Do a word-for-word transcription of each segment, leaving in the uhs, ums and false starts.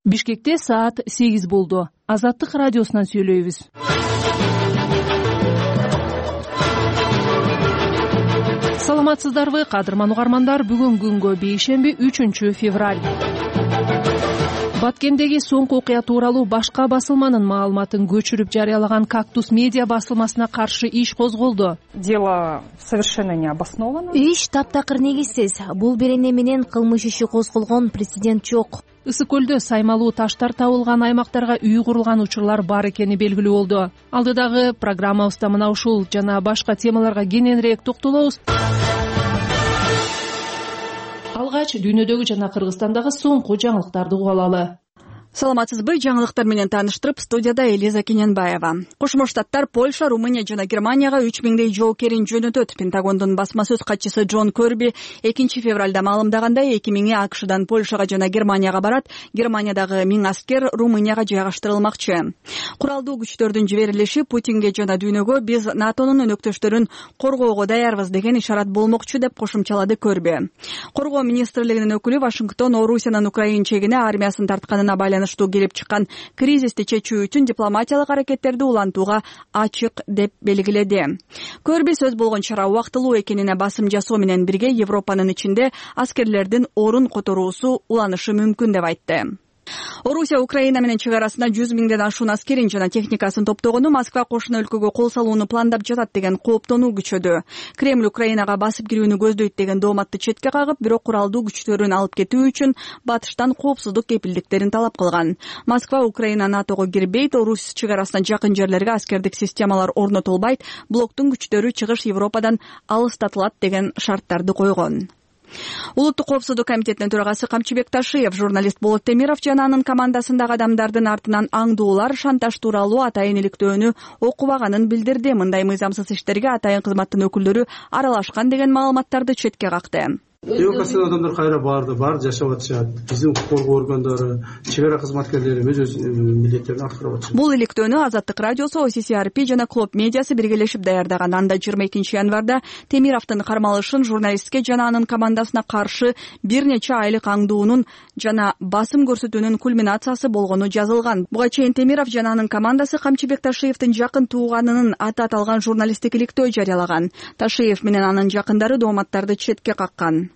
Бишкекте саат сегиз болду. Азаттык радиосунан сүйлөйбүз. Саламатсыздарбы, кадырман угармандар? Бүгүн күнгө бейшемби, үчүнчү февраль. Баткендеги соңку окуя тууралуу башка басылманын маалыматын көчүрүп жарыялаган «Кактус медиа» басылмасына каршы иш козголду. Дело совершенно необоснованно. Иш таптакыр негизсиз. Бул берене менен кылмыш иши козголгон президент жок. Ысык көлдө саймалуу таштар табылган аймактарга үй курулган учурлар бар экени белгилүү болду. Алдыдагы программабызда мына ушул жана башка темаларга кененирээк токтолобуз. Алгач дүйнөдөгү жана Кыргызстандагы соңку жаңылыктарды угуп алалы. Саламатсызбы? Жаңылыктар менен тааныштырып, студияда Элиза Кененбаева. Кошмо Штаттар Польша, Румыния жана Германияга үч миңдей жоокерин жөнөтөт. Пентагондун басма сөз катчысы Джон Көрби экинчи февралда маалымдагандай, эки миңи АКШдан Польшага жана Германияга барат. Германиядагы миң аскер Румынияга жайгаштырылмакчы. Куралдуу күчтөрдүн жиберилиши Путинге жана дүйнөгө биз НАТОнун өнөктөштөрүн коргоого даярбыз деген ишарат болмокчу деп кошумчалады Көрби. Коргоо министрлигинин өкүлү Вашингтон Орусиянын Украин чегине армиясын тартканына байланыштуу келип чыккан кризисти чечүү үчүн дипломатиялык аракеттерди улантууга ачык деп белгиледи. Көрби сөз болгон чара убактылуу экенине басым жасоо менен бирге Европанын ичинде аскерлердин орун которуусу уланышы мүмкүн деп айтты. Орусия Украина менен чек арасына жүз миңден ашуун аскерин жана техникасын топтогону Москва кошуна өлкөгө кол салууну пландап жатат деген кооптонуу күчөдү. Кремль Украинага басып кирүүнү көздөйт деген дооматты четке кагып, бирок куралдуу күчтөрүн алып кетүү үчүн батыштан коопсуздук кепилдиктерин талап кылган. Москва Украина НАТОго кирбейт, Орус чек арасына жакын жерлерге аскердик системалар орнотулбайт, блоктун күчтөрү чыгыш Европадан алыстатылат деген шарттарды койгон. Улуттук коопсуздук комитетинин төрагасы Камчыбек Ташиев, журналист Болот Темиров жана анын командасындагы адамдардын артынан аңдуулар, шантаж тууралуу атайын иликтөөнү окубаганын билдирди. Мындай мыйзамсыз иштерге атайын кызматтын өкүлдөрү аралашкан деген маалыматтарды четке какты. Эвакуацияланган адамдар кайра барды, бар жашап атышат. Биздин укук коргоо органдары, чек ара кызматкерлери өз милдеттерин аткарып атышат. Бул иликтөөнү Азаттык радиосу, О С С R P жана Клоп медиасы биргелешип даярдаган. Анда жыйырма экинчи январда Темировдун кармалышын журналистке жана анын командасына каршы бир нече айлык аңдуунун жана басым көрсөтүүнүн кульминациясы болгону жазылган. Буга чейин Темиров жана анын командасы Камчыбек Ташиевдин жакын тууганынын аты аталган журналисттик иликтөө жарыялаган. Ташиев менен анын жакындары дооматтарды четке каккан.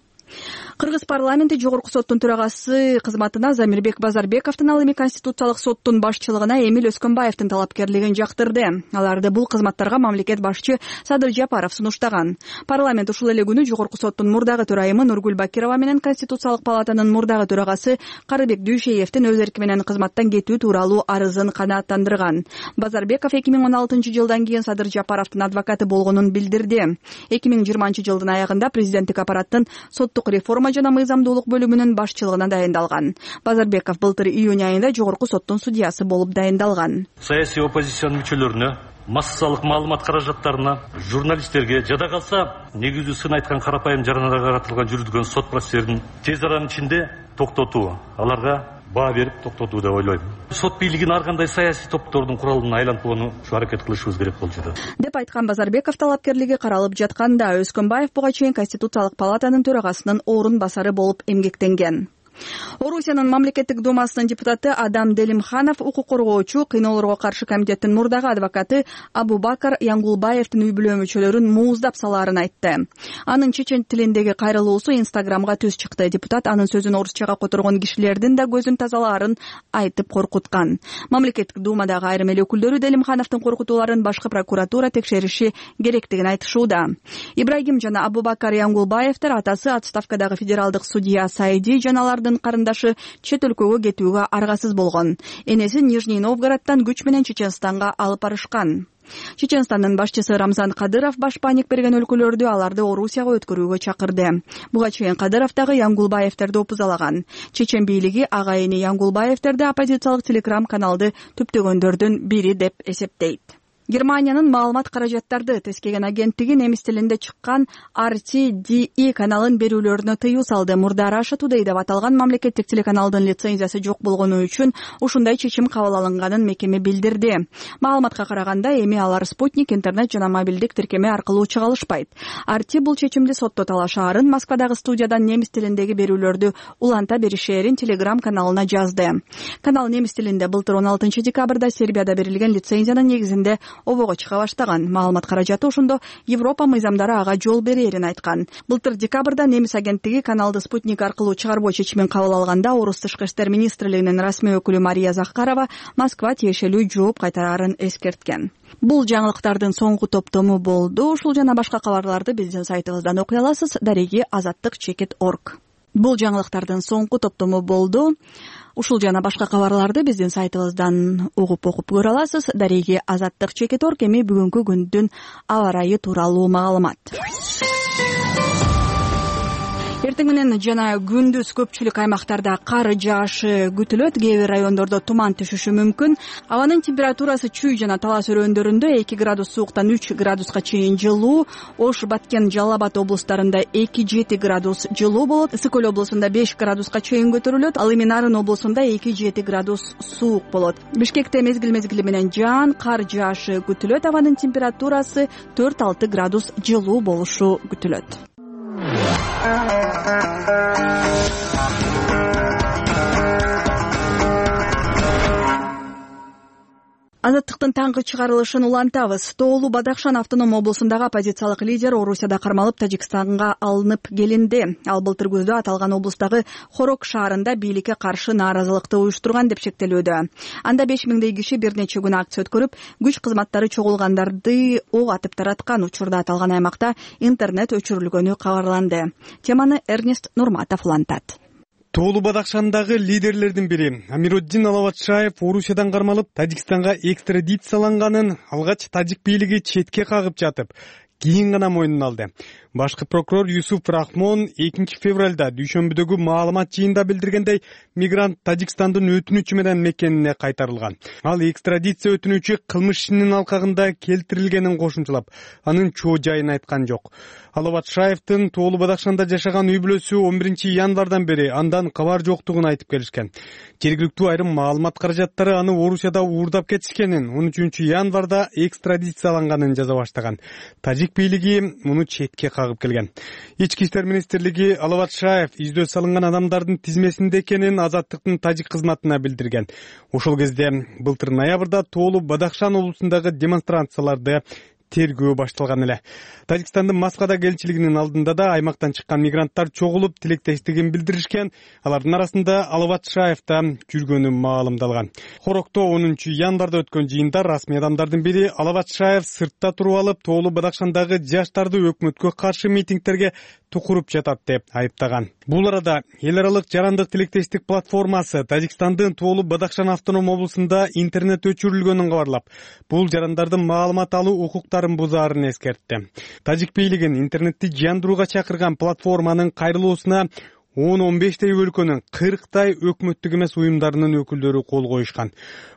Кыргыз парламенти жогорку соттун төрагасы кызматына Замирбек Базарбековдун, ал эми Конституциялык соттун башчылыгына Эмил Өскөнбаевдин талапкерлигин жактырды. Аларды бул кызматтарга мамлекет башчы Садыр Жапаров сунуштаган. Парламент ушул эле күнү жогорку соттун мурдагы төрайымы Нургүл Бакирова менен Конституциялык палатанын мурдагы төрагасы Карыбек Дүйшеевдин өз эрки менен кызматтан кетүү тууралуу арызын канааттандырган. Базарбеков эки миң он алтынчы жылдан кийин Садыр Жапаровдун адвокаты болгонун билдирди. эки миң жыйырманчы жылдын аягында президенттик аппараттын соттук реформа жана мыйзамдуулук бөлүмүнүн башчылыгына дайындалган. Базарбеков былтыр июнь айында жогорку соттун судьясы болуп дайындалган. Саясий оппозициянын мүчөлөрүнө, массалык маалымат каражаттарына, журналисттерге, жада калса негизүү сын айткан карапайым жарандарга каратылган жүргүзүлгөн сот процесстерин тез аранын ичинде токтотуу, аларга баа берип токтотуу деп ойлойм. Сот бийлигин ар кандай саясий топтордун куралына айлантпоону аракет кылышыбыз керек болчу деп айткан Базарбеков талапкерлиги каралып жатканда. Өскөнбаев буга чейин Конституциялык палатанын төрагасынын орун басары болуп эмгектенген. Орусиянын мамлекеттик думасынын депутаты Адам Делимханов укук коргоочу, кыйноолорго каршы комитеттин мурдагы адвокаты Абубакар Янгулбаевдин үй бүлө мүчөлөрүн мууздап салаарын айтты. Анын чечен тилиндеги кайрылуусу Инстаграмга түз чыкты. Депутат анын сөзүн орусчага которгон кишилердин да көзүн тазалаарын айтып коркуткан. Мамлекеттик думадагы айрым эл өкүлдөрү Делимхановдун коркутууларын башкы прокуратура текшериши керектигин айтышууда. Ибрагим жана Абубакар Янгулбаевдер атасы отставкадагы федералдык судья Сайди жана алардын карындашы чет өлкөгө кетүүгө аргасыз болгон. Энесин Нижний Новгороддон күч менен Чеченстанга алып барышкан. Чеченстандын башчысы Рамзан Кадыров баш паник берген өлкөлөрдү аларды Орусияга өткөрүүгө чакырды. Буга чейин Кадыров дагы Янгулбаевдерди опузалаган. Чечен бийлиги агайыны Янгулбаевдерди оппозициялык телеграм каналды түптөгөндөрдүн бири деп эсептейт. Германиянын маалымат каражаттарды тескеген агенттиги немис тилинде чыккан ар ти ди и каналын берүүлөрүнө тыюу салды. Мурда Russia Today деп аталган мамлекеттик телеканалдын лицензиясы жок болгону үчүн ушундай чечим кабыл алынганын мекеме билдирди. Маалыматка караганда эми алар спутник, интернет жана мобилдик тиркеме аркылуу чыга алышпайт. ар ти бул чечимди сотто талашаарын, Москвадагы студиядан немис тилиндеги берүүлөрдү уланта беришээрин Telegram каналына жазды. Канал немис тилинде былтыр он алтынчы декабрда Сербияда берилген лицензиянын негизинде обого чыга баштаган. Маалымат каражаты ошондо Европа мыйзамдары ага жол берерин айткан. Былтыр декабрда немис агенттиги каналды спутник аркылуу чыгарбоо чечимин кабыл алганда орус тышкы иштер министрлигинин расмий өкүлү Мария Захарова Москва тиешелүү жооп кайтарарын эскерткен. Бул жаңылыктардын соңку топтому болду. Ушул жана башка кабарларды биздин сайтыбыздан окуй аласыз. дареги азаттык чекит точка орг. Бул жаңылыктардын соңку топтому болду. Ушул жана башка кабарларды биздин сайтыбыздан угуп окуп көрө аласыз. дареги азаттык чекит точка орг. Эми бүгүнкү күндүн аба ырайы тууралуу маалымат. Эртең менен жана күндүз көпчүлүк аймактарда кар жаашы күтүлөт. Кээ бир райондордо туман түшүшү мүмкүн. Абанын температурасы Чүй жана Талас өрөөндөрүндө эки градус сууктан үч градуска чейин жылуу, Ош, Баткен, Жалал Абад облустарында эки жети градус жылуу болот. Ысык Көл облусунда беш градуска чейин көтөрүлөт. Ал эми Нарын облусунда эки жети градус суук болот. Бишкекте мезгил мезгили менен жаан, кар жаашы күтүлөт. Абанын температурасы төрт алты градус жылуу болушу күтүлөт. Азаттыктын таңкы чыгарылышын улантабыз. Тоолу Бадахшан автоном облусундагы оппозициялык лидер Орусияда кармалып Тажикстанга алынып келинди. Ал былтыр күздө аталган облустагы Хорок шаарында бийликке каршы нааразылыкты уюштурган деп шектелүүдө. Анда беш миңдей киши бир нече күн акция өткөрүп, күч кызматтары чогулгандарды ок атып тараткан. Учурда аталган аймакта интернет өчүрүлгөнү кабарланды. Теманы Эрнест Нурматов улантат. Тоолу Бадахшандагы лидерлердин бири Амируддин Алаватшаев Орусиядан кармалып Тажикстанга экстрадицияланганын алгач тажик бийлиги четке кагып жатып, кийин гана мойнуна алды. Башкы прокурор Юсуф Рахмон экинчи февралда дүйшөмбүдөгү маалымат жыйында билдиргендей, мигрант Тажикстандын өтүнүчү менен мекенине кайтарылган. Ал экстрадиция өтүнүчү кылмыш ишинин алкагында келтирилгенин кошумчалап, анын чоо жайын айткан жок. Алаватшаевдин Тоолу Бадахшанда жашаган үй бүлөсү он биринчи январдан бери андан кабар жоктугун айтып келишкен. Жергиликтүү айрым маалымат каражаттары аны Орусияда уурдап кетишкенин, он үчүнчү январда экстрадицияланганын жаза баштаган. Тажик бийлиги муну четке кагып келген. Ички иштер министрлиги Алаватшаев издөө салынган адамдардын тизмесинде экенин Азаттыктын тажик кызматына билдирген. Ошол кезде былтыр ноябрда Тоолу Бадахшан облусундагы демонстрацияларды тергөө башталган эле. Тажикстандын Москвадагы элчилигинин алдында да аймактан чыккан мигранттар чогулуп тилектештигин билдиришкен. Алардын арасында Алаватшаев да жүргөнү маалымдалган. Хорокто онунчу январда өткөн жыйында расмий адамдардын бири Алаватшаев сыртта туруп алып, Тоолу Бадахшандагы жаштарды өкмөткө каршы митингтерге тукуруп жатат деп айыптаган. Бул арада эл аралык жарандык тилектештик платформасы Тажикстандын Тоолу Бадахшан автоном облусунда интернет өчүрүлгөнүн кабарлап, бул жарандардын маалымат алуу укуктарын бузаарын эскертти. Тажик бийлигин интернетти жандырууга чакырган платформанын кайрылуусуна он он бештей өлкөнүн кырктай өкмөттүк эмес уюмдарынын өкүлдөрү кол коюшкан.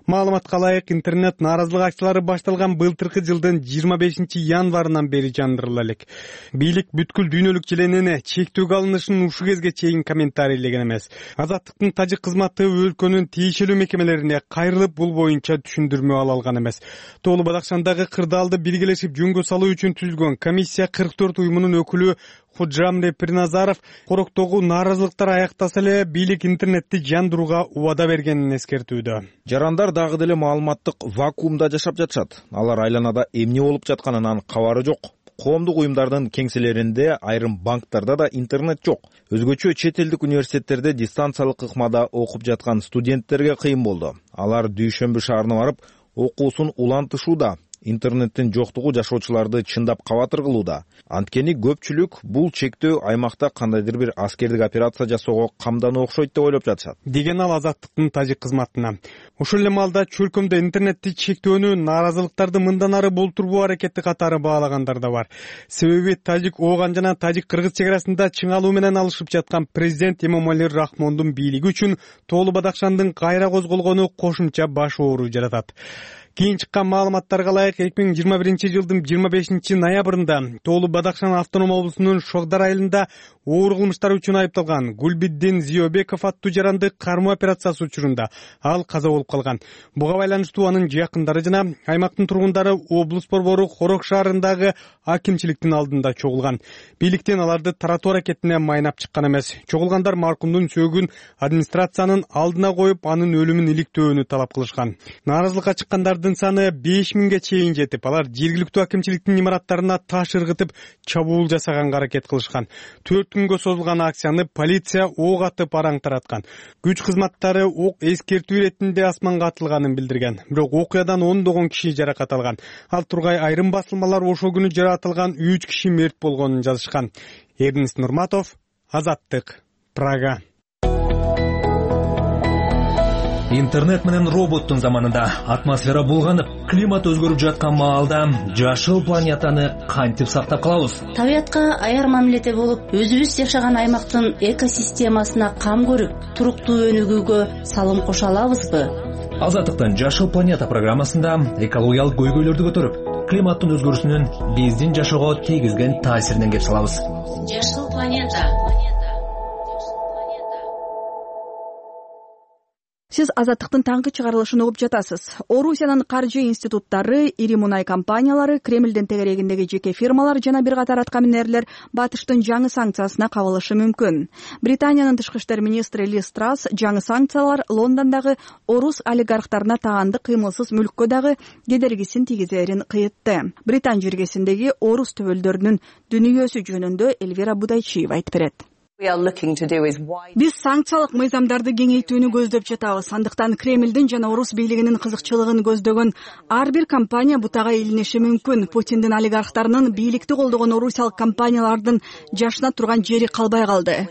Маалыматка ылайык, интернет нааразылык акциялары башталган былтыркы жылдын жыйырма бешинчи январынан бери жандырыла элек. Бийлик бүткүл дүйнөлүк желенине чектөөгө алынышын ушул кезге чейин комментарийлеген эмес. Азаттыктын тажик кызматы өлкөнүн тийишелүү мекемелерине кайрылып, бул боюнча түшүндүрмө ала алган эмес. Тоолу Бадахшандагы кырдаалды биргелешип жөнгө салуу үчүн түзүлгөн комиссия кырк төрт уюмунун өкүлү Худжамре Приназаров Хороктогу нааразылыктар аяктаса эле бийлик интернетти жандырууга убада бергенин эскертүүдө. Жарандар дагы деле маалыматтык вакуумда жашап жатышат. Алар айланада эмне болуп жатканынан кабары жок. Коомдук уюмдардын кеңселеринде, айрым банктарда да интернет жок. Өзгөчө чет элдик университеттерде дистанциялык ыкмада окуп жаткан студенттерге кыйын болду. Алар Дүйшөмбү шаарына барып, окуусун улантышууда. Интернеттин жоктугу жашоочуларды чындап кабатыр кылууда. Анткени көпчүлүк бул чектөө аймакта кандайдыр бир аскердик операция жасоого камдануу окшойт деп ойлоп жатышат, деген ал Азаттыктын тажик кызматына. Ошол эле маалда чөлкөмдө интернетти чектөөнү нааразылыктарды мындан ары болтурбоо аракети катары баалагандар да бар. Себеби тажик Ооган жана тажик-кыргыз чек арасында чыңалуу менен алышып жаткан президент Эмомали Рахмондун бийлиги үчүн Тоолу Бадахшандын кайра козголгону кошумча баш оору жаратат. Кийин чыккан маалыматтарга ылайык эки миң жыйырма биринчи жылдын жыйырма бешинчи ноябрында Тоолуу Бадакшан автоном облусунун Шогдар айылында оор кылмыштар үчүн айыпталган Гулбиддин Зиёбеков аттуу жаранды кармоо операциясы учурунда ал каза болуп калган. Буга байланыштуу анын жакындары жана аймактын тургундары облус борбору Хорок шаарындагы акимчиликтин алдында чогулган. Бийликтен аларды таратуу аракетине майнап чыккан эмес. Чогулгандар маркумдун сөөгүн администрациянын алдына коюп, анын өлүмүн иликтөөнү талап кылышкан. Нааразылыкка чыккандардын саны беш миңге чейин жетип, алар жергиликтүү акимчиликтин имараттарына таш ыргытып, чабуул жасаганга аракет кылышкан. төрт күнгө созулган акцияны полиция ок атып араң тараткан. Күч кызматтары ок эскертүү иретинде асманга атылганын билдирген. Бирок окуядан ондогон киши жаракат алган. Ал тургай айрым басылмалар ошол күнү жаратылган үч киши мерт болгонун жазышкан. Эрнест Нурматов, Азаттык, Прага. Интернет менен роботтун заманында атмосфера булганып, климат өзгөрүп жаткан маалда жашыл планетаны кантип сактап калабыз? Табиятка аяр мамиледе болуп, өзүбүз жашаган аймактын экосистемасына кам көрүп, туруктуу өнүгүүгө салым кошо алабызбы? Азаттыктын Жашыл планета программасында экологиялык көйгөйлөрдү көтөрүп, климаттын өзгөрүшүнүн биздин жашоого тийгизген таасиринен кеп салабыз. Жашыл планета. Сиз Азаттыктын таңкы чыгарылышын угуп жатасыз. Орусиянын каржы институттары, ири мунай компаниялары, Кремлдин тегерегиндеги жеке фирмалар жана бир катар аткаминерлер батыштын жаңы санкциясына кабылышы мүмкүн. Британиянын тышкы иштер министри Лиз Трасс жаңы санкциялар Лондондогу орус олигархтарына таанды кыймылсыз мүлккө дагы кедергисин тийгизерин кыйтты. Британ жергесиндеги орус төбөлдөрүнүн дүнүйөсү жөнүндө Эльвира Будайчиева айтып берет. Биз санкциялык мыйзамдарды кеңейтүүнү көздөп жатабыз. Андыктан Кремлдин жана орус бийлигинин кызыкчылыгын көздөгөн ар бир компания бутага илиниши мүмкүн. Путиндин олигархтарынын бийликти колдогон орусиялык компаниялардын жашына турган жери калбай калды,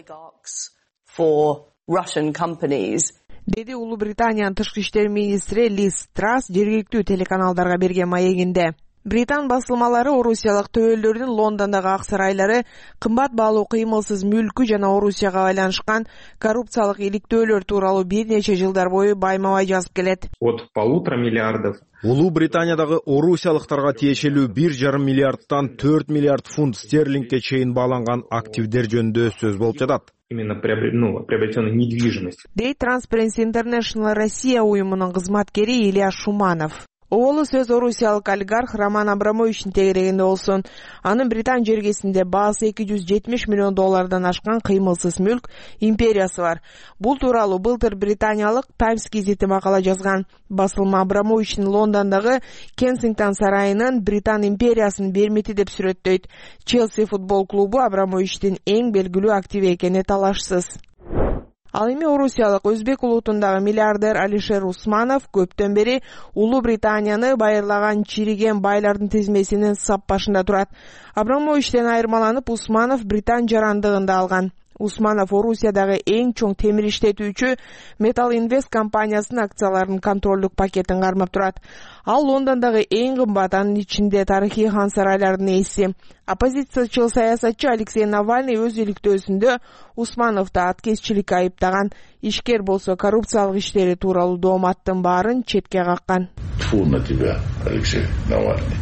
деди Улуу Британиянын тышкы иштер министри Лиз Трасс жергиликтүү телеканалдарга берген маегинде. Британ басылмалары орусиялык төбөлдөрдүн Лондондогу ак сарайлары кымбат баалуу кыймылсыз мүлкү жана Орусияга байланышкан коррупциялык иликтөөлөр тууралуу бир нече жылдар бою байма-бай жазып келет. От полутора миллиардов. Улуу Британиядагы орусиялыктарга тиешелүү бир жарым миллиардтан төрт миллиард фунт стерлингке чейин бааланган активдер жөнүндө сөз болуп жатат. Именно ну, приобретенной недвижимости. Дейт Transparency International Россия уюмунун кызматкери Илья Шуманов. Оолу сөз орусиялык олигарх Роман Абрамовичтин тегерегинде болсун. Анын Британ жергесинде баасы эки жүз жетимиш миллион доллардан ашкан кыймылсыз мүлк империясы бар. Бул тууралуу былтыр британиялык Times гезити макала жазган. Басылма Абрамовичтин Лондондогу Кенсингтон сарайынын Британ империясын бермети деп сүрөттөйт. Челси футбол клубу Абрамовичтин эң белгилүү активи экени талашсыз. Ал эми орусиялык өзбек улутундагы миллиардер Алишер Усманов көптөн бери Улуу Британияны байырлаган чириген байлардын тизмесинин сап башында турат. Абрамовичтен айырмаланып, Усманов Британ жарандыгында алган. Усманов Орусиядагы эң чоң темир иштетүүчү Metal Invest компаниясынын акцияларынын контролдук пакетин кармап турат. Ал Лондондогу эң кымбат, анын ичинде тарыхый хан сарайлардын ээси. Оппозициячыл саясатчы Алексей Навальный өз иликтөөсүндө Усмановду аткезчиликке айыптаган. Ишкер болсо коррупциялык иштери тууралуу дооматтын баарын четке каккан. Тьфу на тебя, Алексей Навальный.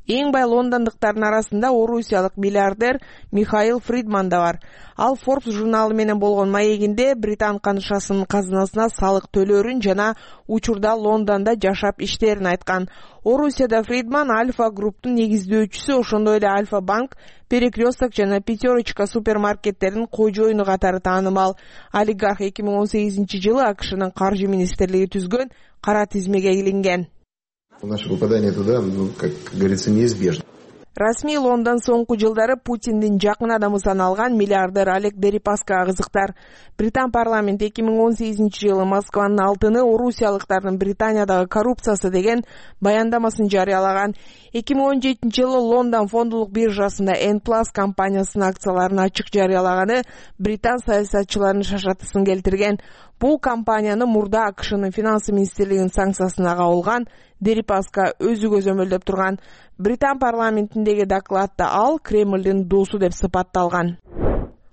Эң бай лондондуктардын арасында орусиялык миллиардер Михаил Фридман да бар. Ал Forbes журналы менен болгон маегинде Британ канышасынын казынасына салык төлөөрүн жана учурда Лондондо жашап иштерин айткан. Орусияда Фридман Альфа групптун негиздөөчүсү, ошондой эле Альфа банк, Перекресток жана Пятерочка супермаркеттеринин кожоюну катары таанымал. Олигарх эки миң он сегизинчи жылы АКШнын каржы министрлиги түзгөн кара тизмеге илинген. Наше попадание туда, ну, как говорится, неизбежно. Расмий Лондон соңку жылдары Путиндин жакын адамы саналган миллиардер Олег Дерипаскага кызыктар. Британ парламенти эки миң он сегизинчи жылы Москванын алтыны орусиялыктардын Британиядагы коррупциясы деген баяндамасын жарыялаган. эки миң он жетинчи жылы Лондон фондулук биржасында N Plus компаниясынын акцияларын ачык жарыялаганы британ саясатчыларынын шашатысын келтирген. Бул компанияны мурда АКШнын финансы министрлигинин санкциясына кабылган. Дерипаска өзү көзөмөлдөп турган. Британ парламентиндеги докладда ал Кремлдин досу деп сыпатталган.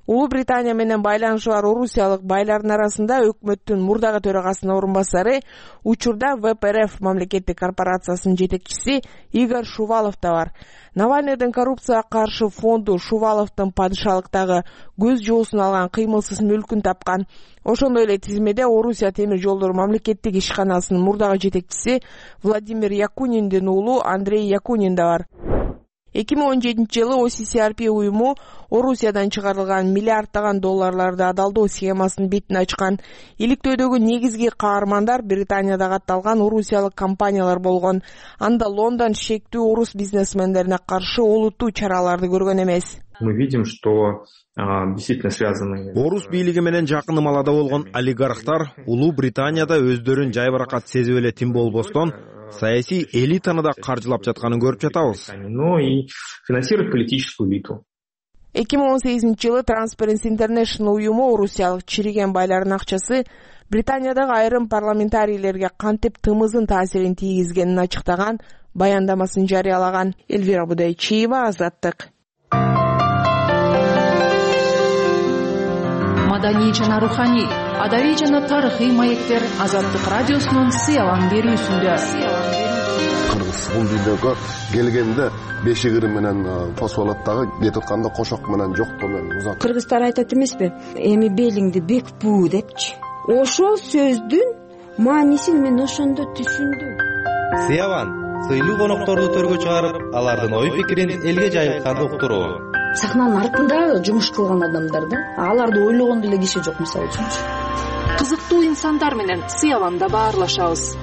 Улуу Британия менен байланышы бар орусиялык байлардын арасында өкмөттүн мурдагы төрагасынын орун басары, учурда вэ пэ эр эф мамлекеттик корпорациясынын жетекчиси Игорь Шувалов да бар. Навальныйдын коррупцияга каршы фонду Шуваловдун падышалыктагы көз жоосун алган кыймылсыз мүлкүн тапкан. Ошондой эле тизмеде Орусия темир жолдору мамлекеттик ишканасынын мурдагы жетекчиси Владимир Якуниндин уулу Андрей Якунин да бар. эки миң он жетинчи жылы о си си ар пи уюму Орусиядан чыгарылган миллиарддаган долларларды адалдоо схемасынын бетин ачкан. Иликтөөдөгү негизги каармандар Британияда катталган орусиялык компаниялар болгон. Анда Лондон шектүү орус бизнесмендерине каршы олуттуу чараларды көргөн эмес. Мы видим, что а, действительно связаны. Орус бийлиги менен жакын ымалада болгон олигархтар Улуу Британияда өздөрүн жайбаракат сезип эле тим болбостон саясий элитаны да каржылап жатканын көрүп жатабыз. Но и финансирует политическую элиту. эки миң он сегизинчи жылы Transparency International уюму орусиялык чириген байлардын акчасы Британиядагы айрым парламентарийлерге кантип тымызын таасирин тийгизгенин ачыктаган баяндамасын жарыялаган. Эльвира Будайчиева, Азаттык. Маданий жана руханий, адабий жана тарыхый маектер Азаттык радиосунун сыялан берүүсүндө. Кыргыз бул видеого келгенде бешигири менен посуп дагы кетип атканда кошок менен жоктоо менен узат. Кыргыздар айтат эмеспи? Эми белиңди бекпүү депчи. Ошол сөздүн маанисин мен ошондо түшүндүм. Сыялан сыйлуу конокторду төргө чыгарып, алардын ой пикирин элге жайылтканды уктуруу. Сахнанын артында жумуш кылган адамдар да, аларды ойлогон деле киши жок мисалы үчүн. Кызыктуу инсандар менен сыяланда баарлашабыз.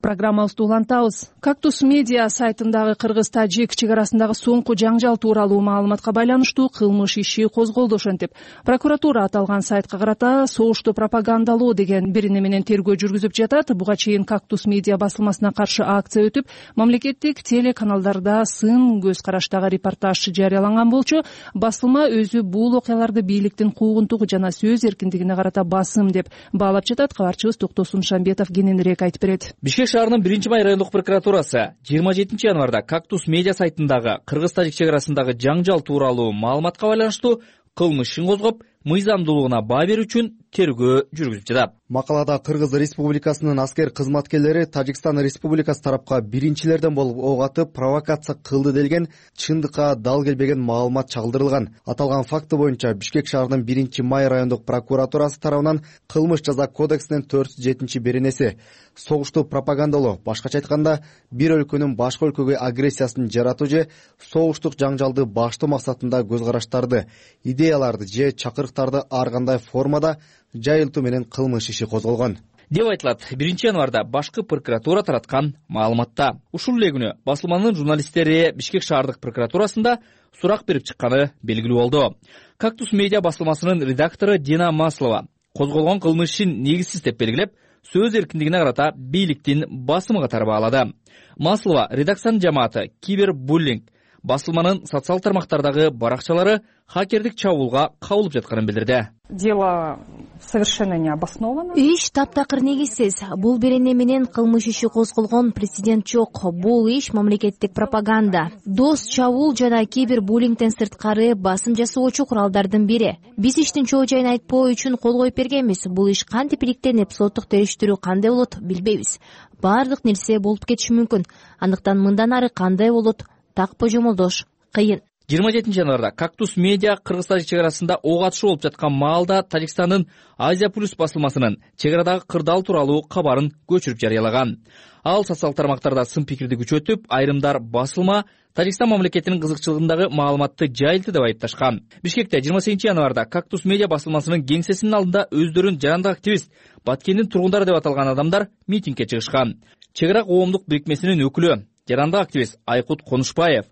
Программабызды улантабыз. Кактус медиа сайтындагы кыргыз-тажик чек арасындагы соңку жаңжал тууралуу маалыматка байланыштуу кылмыш иши козголду. Ошентип, прокуратура аталган сайтка карата согушту пропагандалоо деген берене менен тергөө жүргүзүп жатат. Буга чейин Кактус медиа басылмасына каршы акция өтүп, мамлекеттик телеканалдарда сын көз караштагы репортаж жарыяланган болчу. Басылма өзү бул окуяларды бийликтин куугунтугу жана сөз эркиндигине карата басым деп баалап жатат. Кабарчыбыз Токтосун Шамбетов кененирээк айтып берет. Бишкек шаарынын биринчи май райондук прокуратурасы жыйырма жетинчи январда Кактус медиа сайтындагы кыргыз-тажик чек арасындагы жаңжал тууралуу маалыматка байланыштуу кылмыш ишин козгоп, мыйзамдуулугуна баа берүү үчүн тергөө жүргүзүп жатат. Макалада Кыргыз Республикасынын аскер кызматкерлери Тажикстан Республикасы тарапка биринчилерден болуп ок атып провокация кылды делген чындыкка дал келбеген маалымат чагылдырылган. Аталган факты боюнча Бишкек шаарынын биринчи май райондук прокуратурасы тарабынан кылмыш жаза кодексинин төрт жүз жетинчи беренеси согушту пропагандалоо, башкача айтканда бир өлкөнүн башка өлкөгө агрессиясын жаратуу же согуштук жаңжалды баштоо максатында көз караштарды, идеяларды же чакырыктарды ар кандай формада жайылтуу менен кылмыш иши козголгон деп айтылат биринчи январда башкы прокуратура тараткан маалыматта. Ушул эле күнү басылманын журналисттери Бишкек шаардык прокуратурасында сурак берип чыкканы белгилүү болду. Кактус медиа басылмасынын редактору Дина Маслова козголгон кылмыш ишин негизсиз деп белгилеп, сөз эркиндигине карата бийликтин басымы катары баалады. Маслова редакциянын жамааты кибербуллинг, басылманын социал тармактардагы баракчалары хакердик чабуулга кабылып жатканын билдирди. Дело совершенно необоснованно. Иш таптакыр негизсиз. Бул берене менен кылмыш иши козголгон президент жок. Бул иш мамлекеттик пропаганда. Дос чабуул жана кибербуллингден сырткары басым жасоочу куралдардын бири. Биз иштин чоо жайын айтпоо үчүн кол коюп бергенбиз. Бул иш кантип иликтенип, соттук териштирүү кандай болот билбейбиз. Баардык нерсе болуп кетиши мүмкүн. Андыктан мындан ары кандай болот? Так божомолдош кыйын. жыйырма жетинчи январда Кактус медиа кыргыз-тажик чек арасында ок атышуу болуп жаткан маалда Тажикстандын Азия плюс басылмасынын чек арадагы кырдаал тууралуу кабарын көчүрүп жарыялаган. Ал социал тармактарда сын пикирди күчөтүп, айрымдар басылма Тажикстан мамлекетинин кызыкчылыгындагы маалыматты жайылтты деп айыпташкан. Бишкекте жыйырма сегизинчи январда Кактус медиа басылмасынын кеңсесинин алдында өздөрүн жарандык активист, Баткендин тургундары деп аталган адамдар митингге чыгышкан. Чек ара коомдук бирикмесинин өкүлү, жарандык активист Айкут Конушбаев,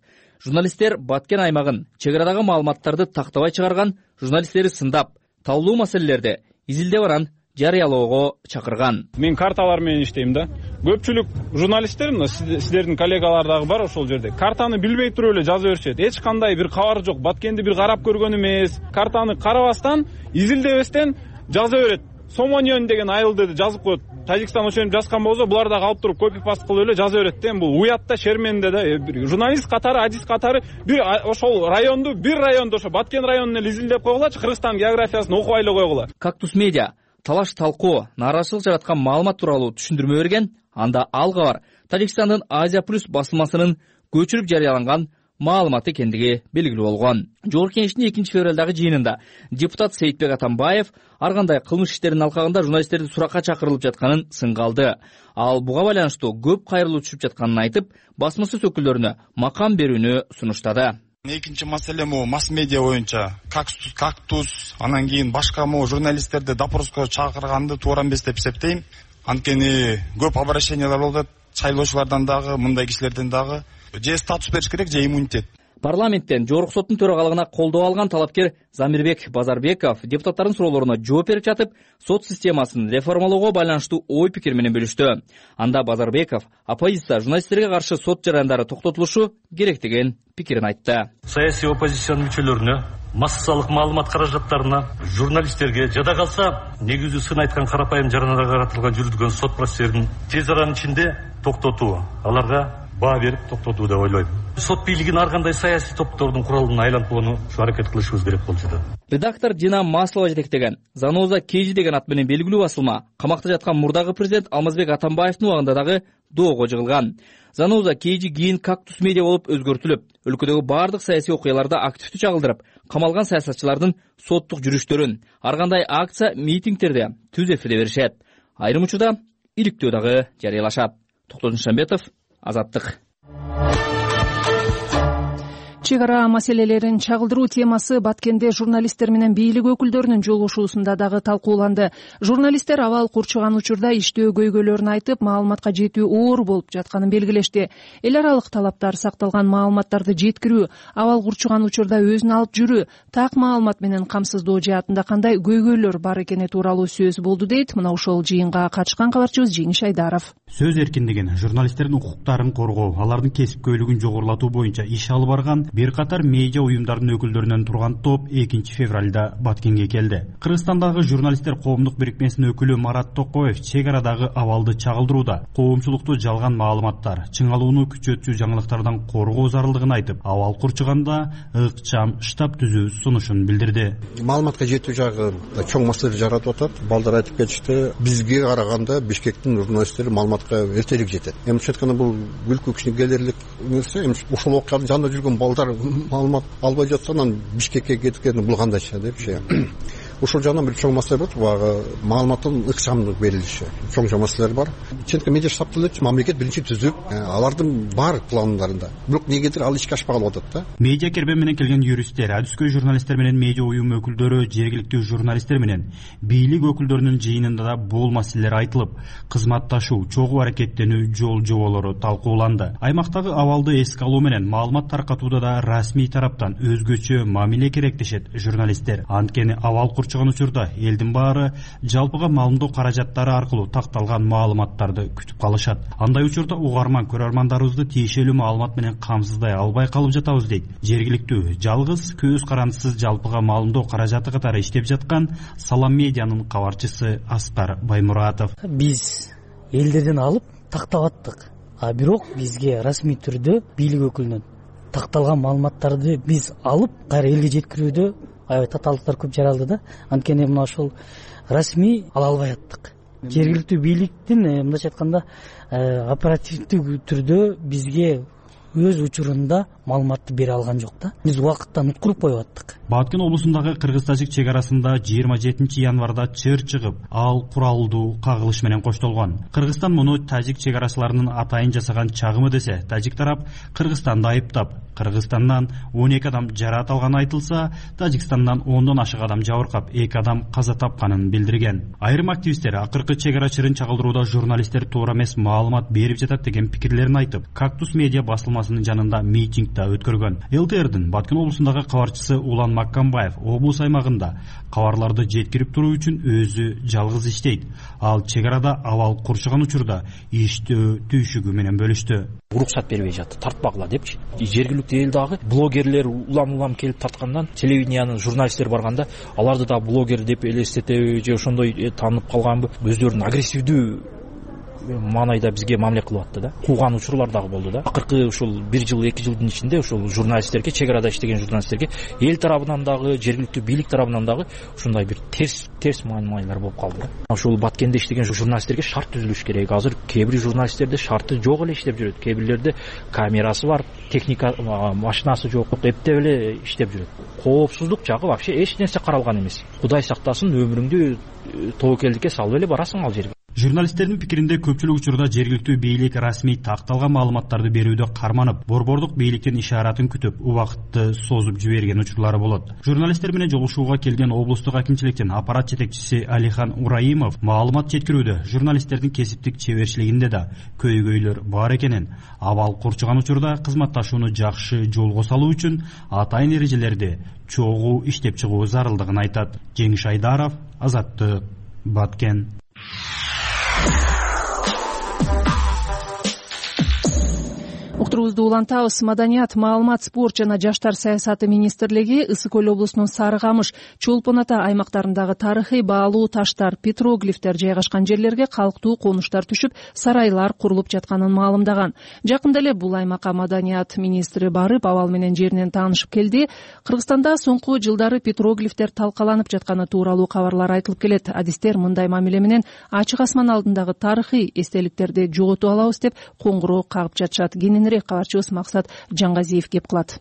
журналисттер Баткен аймагын чек арадагы маалыматтарды тактабай чыгарган журналисттери сындап, талдуу маселелерди изилдеп баран жарыялоого чакырган. Мен карталар менен иштейм да. Көпчүлүк журналисттер, мына сиздердин коллегалар дагы бар ошол жерде. Картаны билбей туруп эле жаза беришет. Эч кандай бир кабар жок. Баткенди бир карап көргөн эмес. Картаны карабастан, изилдебестен жаза берет. Сомоньон деген айылды жазып коет. Тажикстан ошентип жазган болсо булар дагы алып туруп копи паст кылып эле жаза берет да. Эми бул уят да, шерменде да. Журналист катары, адис катары бир ошол районду, бир районду, ошо Баткен районун эле изилдеп койгулачы, Кыргызстан географиясын окубай эле койгула. Кактус медиа талаш талкуу, нааразычылык жараткан маалымат тууралуу түшүндүрмө берген. Анда ал кабар Тажикстандын Азия плюс басылмасынын көчүрүп жарыяланган маалымат экендиги белгилүү болгон. Жогорку Кеңештин экинчи февралдагы жыйынында депутат Сейитбек Атамбаев ар кандай кылмыш иштеринин алкагында журналисттерди суракка чакырылып жатканын сынга алды. Ал буга байланыштуу көп кайрылуу түшүп жатканын айтып, басмасөз өкүлдөрүнө макам берүүнү сунуштады. Экинчи маселе могу масс медиа боюнча кактус, кактус, анан кийин башка могу журналисттерди допроско чакырганды туура эмес деп эсептейм. Анткени көп обращениялар болуп атат, шайлоочулардан дагы, мындай кишилерден дагы. Же статус бериш керек, же иммунитет. Парламенттен Жогорку соттун төрагалыгына колдоо алган талапкер Замирбек Базарбеков депутаттардын суроолоруна жооп берип жатып, сот системасын реформалоого байланыштуу ой пикир менен бөлүштү. Анда Базарбеков оппозиция журналисттерге каршы сот жарандары токтотулушу керек деген пикирин айтты. Саясий оппозициянын мүчөлөрүнө, массалык маалымат каражаттарына, журналисттерге жада калса негизүү сын айткан карапайым жарандарга каратылган жүргүзүлгөн сот процесстерин тез аранын ичинде токтотуу, аларга баа берип токтотуу деп ойлойм. Сот бийлигин ар кандай саясий топтордун куралына айлантууну аракет кылышыбыз керек болуп жатат. Редактор Дина Маслова жетектеген Заноза Кейжи деген ат менен белгилүү басылма камакта жаткан мурдагы президент Алмазбек Атамбаевдин убагында дагы доого жыгылган. Заноза Кейжи кийин Кактус медиа болуп өзгөртүлүп, өлкөдөгү бардык саясий окуяларда активдүү чагылдырып, камалган саясатчылардын соттук жүрүштөрүн, ар кандай акция, митингтерде түз эфирде беришет. Айрым учурда иликтөө дагы жарыялашат. Токтогул Шамбетов, Азаттык. Чек ара маселелерин чагылдыруу темасы Баткенде журналисттер менен бийлик өкүлдөрүнүн жолугушуусунда дагы талкууланды. Журналисттер абал курчуган учурда иштөө көйгөйлөрүн айтып, маалыматка жетүү оор болуп жатканын белгилешти. Эл аралык талаптар сакталган маалыматтарды жеткирүү, абал курчуган учурда өзүн алып жүрүү, так маалымат менен камсыздоо жаатында кандай көйгөйлөр бар экени тууралуу сөз болду дейт мына ошол жыйынга катышкан кабарчыбыз Жеңиш Айдаров. Сөз эркиндигин, журналисттердин укуктарын коргоо, алардын кесипкөйлүгүн жогорулатуу боюнча иш алып барган бир катар медиа уюмдардын өкүлдөрүнөн турган топ экинчи февралда Баткенге келди. Кыргызстандагы журналисттер коомдук бирикмесинин өкүлү Марат Токоев чек арадагы абалды чагылдырууда коомчулукту жалган маалыматтар, чыңалууну күчөтчү жаңылыктардан коргоо зарылдыгын айтып, абал курчуганда ыкчам штаб түзүү сунушун билдирди. Маалыматка жетүү жагында чоң маселе жаратып атат. Балдар айтып кетишти, бизге караганда Бишкектин журналисттери маалыматка эртерээк жетет. Эми айтканда бул күлкү кичинекейлерлик нерсе. Эми ушул окуянын жанында жүргөн балдар маалымат албай жатса, анан Бишкекке кеткени бул кандайча депчи. Ушул жагынан бир чоң маселе бар. Баягы маалыматтын ыкчамдуу берилиши. Чоң чоң маселелер бар. Чыныкы медиа штабты эле мамлекет биринчи түзүп, алардын бар пландарында. Бирок негедир ал ишке ашпай калып атат да. Медиа кербен менен келген юристтер, адүскөй журналисттер менен медиа уюм өкүлдөрү, жергиликтүү журналисттер менен бийлик өкүлдөрүнүн жыйынында да бул маселелер айтылып, кызматташуу, чогуу аракеттенүү жол жоболору талкууланды. Аймактагы абалды эске алуу менен маалымат таркатууда да расмий тараптан өзгөчө мамиле керектешет журналисттер. Анткени абал курчуган учурда элдин баары жалпыга маалымдоо каражаттары аркылуу такталган маалыматтарды күтүп калышат. Андай учурда угарман көрөрмандарыбызды тиешелүү маалымат менен камсыздай албай калып жатабыз дейт жергиликтүү жалгыз көз карандысыз жалпыга маалымдоо каражаты катары иштеп жаткан Салам медианын кабарчысы Аскар Баймуратов. Биз элдерден алып тактап аттык, а бирок бизге расмий түрдө бийлик өкүлүнөн такталган маалыматтарды биз алып кайра элге жеткирүүдө аябай татаалыктар көп жаралды да. Анткени мына ошол расмий ала албай аттык. Жергиликтүү бийликтин мындайча айтканда оперативдүү түрдө бизге өз учурунда маалыматты бере алган жок да. Биз убакыттан уткуруп коюп аттык. Баткен облусундагы кыргыз-тажик чек арасында жыйырма жетинчи январда чыр чыгып, ал куралдуу кагылыш менен коштолгон. Кыргызстан муну тажик чек арачыларынын атайын жасаган чагымы десе, тажик тарап Кыргызстанды айыптап, Кыргызстандан он эки адам жараат алганы айтылса, Тажикстандан ондон ашык адам жабыркап, эки адам каза тапканын билдирген. Айрым активисттер акыркы чек ара чырын чагылдырууда журналисттер туура эмес маалымат берип жатат деген пикирлерин айтып, Кактус медиа басылмасы басылмасынын жанында митинг да өткөргөн. ЛТРдин Баткен облусундагы кабарчысы Улан Маккамбаев облус аймагында кабарларды жеткирип туруу үчүн өзү жалгыз иштейт. Ал чек арада абал курчаган учурда иштөө түйшүгү менен бөлүштү. Уруксат бербей жатты, тартпагыла депчи. Жергиликтүү эл дагы блогерлер улам-улам келип тарткандан, телевидениянын журналисттери барганда, аларды да блогер деп элестетеби же ошондой таанып калганбы, өздөрүн агрессивдүү маанайда бизге мамиле кылып атты да. Кууган учурлар дагы болду да. Акыркы ушул бир жыл, эки жылдын ичинде ушул журналисттерге, чек арада иштеген журналисттерге эл тарабынан дагы, жергиликтүү бийлик тарабынан дагы ушундай бир терс терс маанилер болуп калды да. Ушул Баткенде иштеген журналисттерге шарт түзүлүш керек. Азыр кээ бир журналисттерде шарты жок эле иштеп жүрөт. Кээ бирлерде камерасы бар, техника машинасы жок, эптеп эле иштеп жүрөт. Коопсуздук жагы вообще эч нерсе каралган эмес. Кудай сактасын, өмүрүңдү тобокелдикке салып эле барасың ал жерге. Журналисттердин пикиринде көпчүлүк учурда жергиликтүү бийлик расмий такталган маалыматтарды берүүдө карманып, борбордук бийликтин ишаратын күтүп, убакытты созуп жиберген учурлары болот. Журналисттер менен жолугушууга келген облустук акимчиликтин аппарат жетекчиси Алихан Ураимов маалымат жеткирүүдө журналисттердин кесиптик чеберчилигинде да көйгөйлөр бар экенин, абал курчаган учурда кызматташууну жакшы жолго салуу үчүн атайын эрежелерди чогуу иштеп чыгуу зарылдыгын айтат. Жеңиш Айдаров, Азаттык, Баткен. Уктуруубузду улантабыз. Маданият, маалымат, спорт жана жаштар саясаты министрлиги Ысык Көл облусунун Сары Камыш, Чолпон Ата аймактарындагы тарыхый баалуу таштар, петроглифтер жайгашкан жерлерге калктуу конуштар түшүп, сарайлар курулуп жатканын маалымдаган. Жакында эле бул аймакка маданият министри барып, абал менен жеринен таанышып келди. Кыргызстанда соңку жылдары петроглифтер талкаланып жатканы тууралуу кабарлар айтылып келет. Адистер мындай мамиле менен ачык асман алдындагы тарыхый эстеликтерди жоготуп алабыз деп коңгуроо кагып жатышат. Кабарчыбыз Максат Жаңгазиев кеп кылат.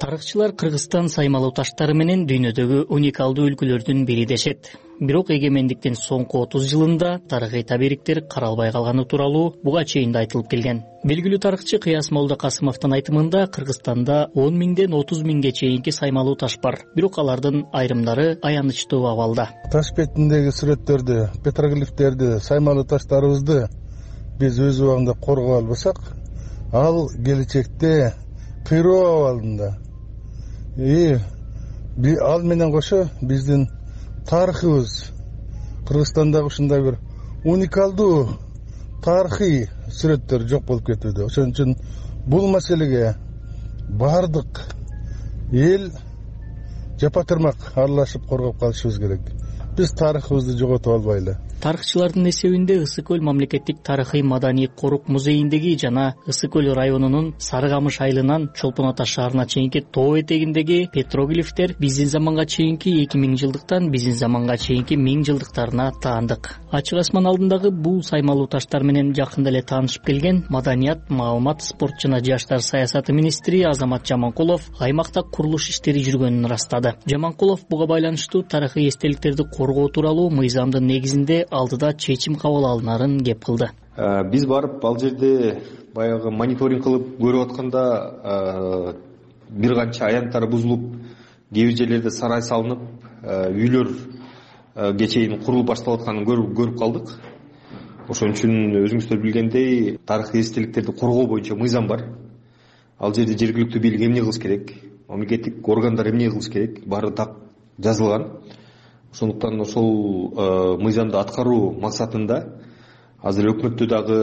Тарыхчылар Кыргызстан саймалуу таштары менен дүйнөдөгү уникалдуу өлкөлөрдүн бири дешет. Бирок эгемендиктин соңку отуз жылында тарыхый табириктер каралбай калганы тууралуу буга чейин да айтылып келген. Белгилүү тарыхчы Кыяс Молдокасымовдун айтымында Кыргызстанда он миңден отуз миңге чейинки саймалуу таш бар. Бирок алардын айрымдары аянычтуу абалда. Таш бетиндеги сүрөттөрдү, петроглифтерди, саймалуу таштарыбызды биз өз убагында коргоп албасак, ал келечекте кыйроо абалында. И ал менен кошо биздин тарыхыбыз, Кыргызстандагы ушундай бир уникалдуу тарыхый сүрөттөр жок болуп кетүүдө. Ошон үчүн бул маселеге бардык эл жапа-тырмак аралашып коргоп калышыбыз керек. Биз тарыхыбызды жоготуп албайлы. Тарыхчылардын эсебинде Ысык Көл мамлекеттик тарыхый маданий корук музейиндеги жана Ысык Көл районунун Сары Камыш айылынан Чолпон Ата шаарына чейинки тоо этегиндеги петроглифтер биздин заманга чейинки эки миң жылдыктан биздин заманга чейинки миң жылдыктарына таандык. Ачык асман алдындагы бул саймалуу таштар менен жакында эле таанышып келген Маданият, маалымат, спорт жана жаштар саясаты министри Азамат Жаманкулов аймакта курулуш иштери жүргөнүн ырастады. Жаманкулов буга байланыштуу тарыхый эстеликтерди коргоо тууралуу мыйзамдын негизинде алдыда чечим кабыл алынарын кеп кылды. Биз барып ал жерде баягы мониторинг кылып көрүп атканда бир канча аянттар бузулуп, кээ бир жерлерде сарай салынып, үйлөр чейин курулуп башталып атканын көрүп калдык. Ошон үчүн өзүңүздөр билгендей, тарыхый эстеликтерди коргоо боюнча мыйзам бар. Ал жерде жергиликтүү бийлик эмне кылыш керек, мамлекеттик органдар эмне кылыш керек, баары так жазылган. Ошондуктан ошол мыйзамды аткаруу максатында азыр өкмөттө дагы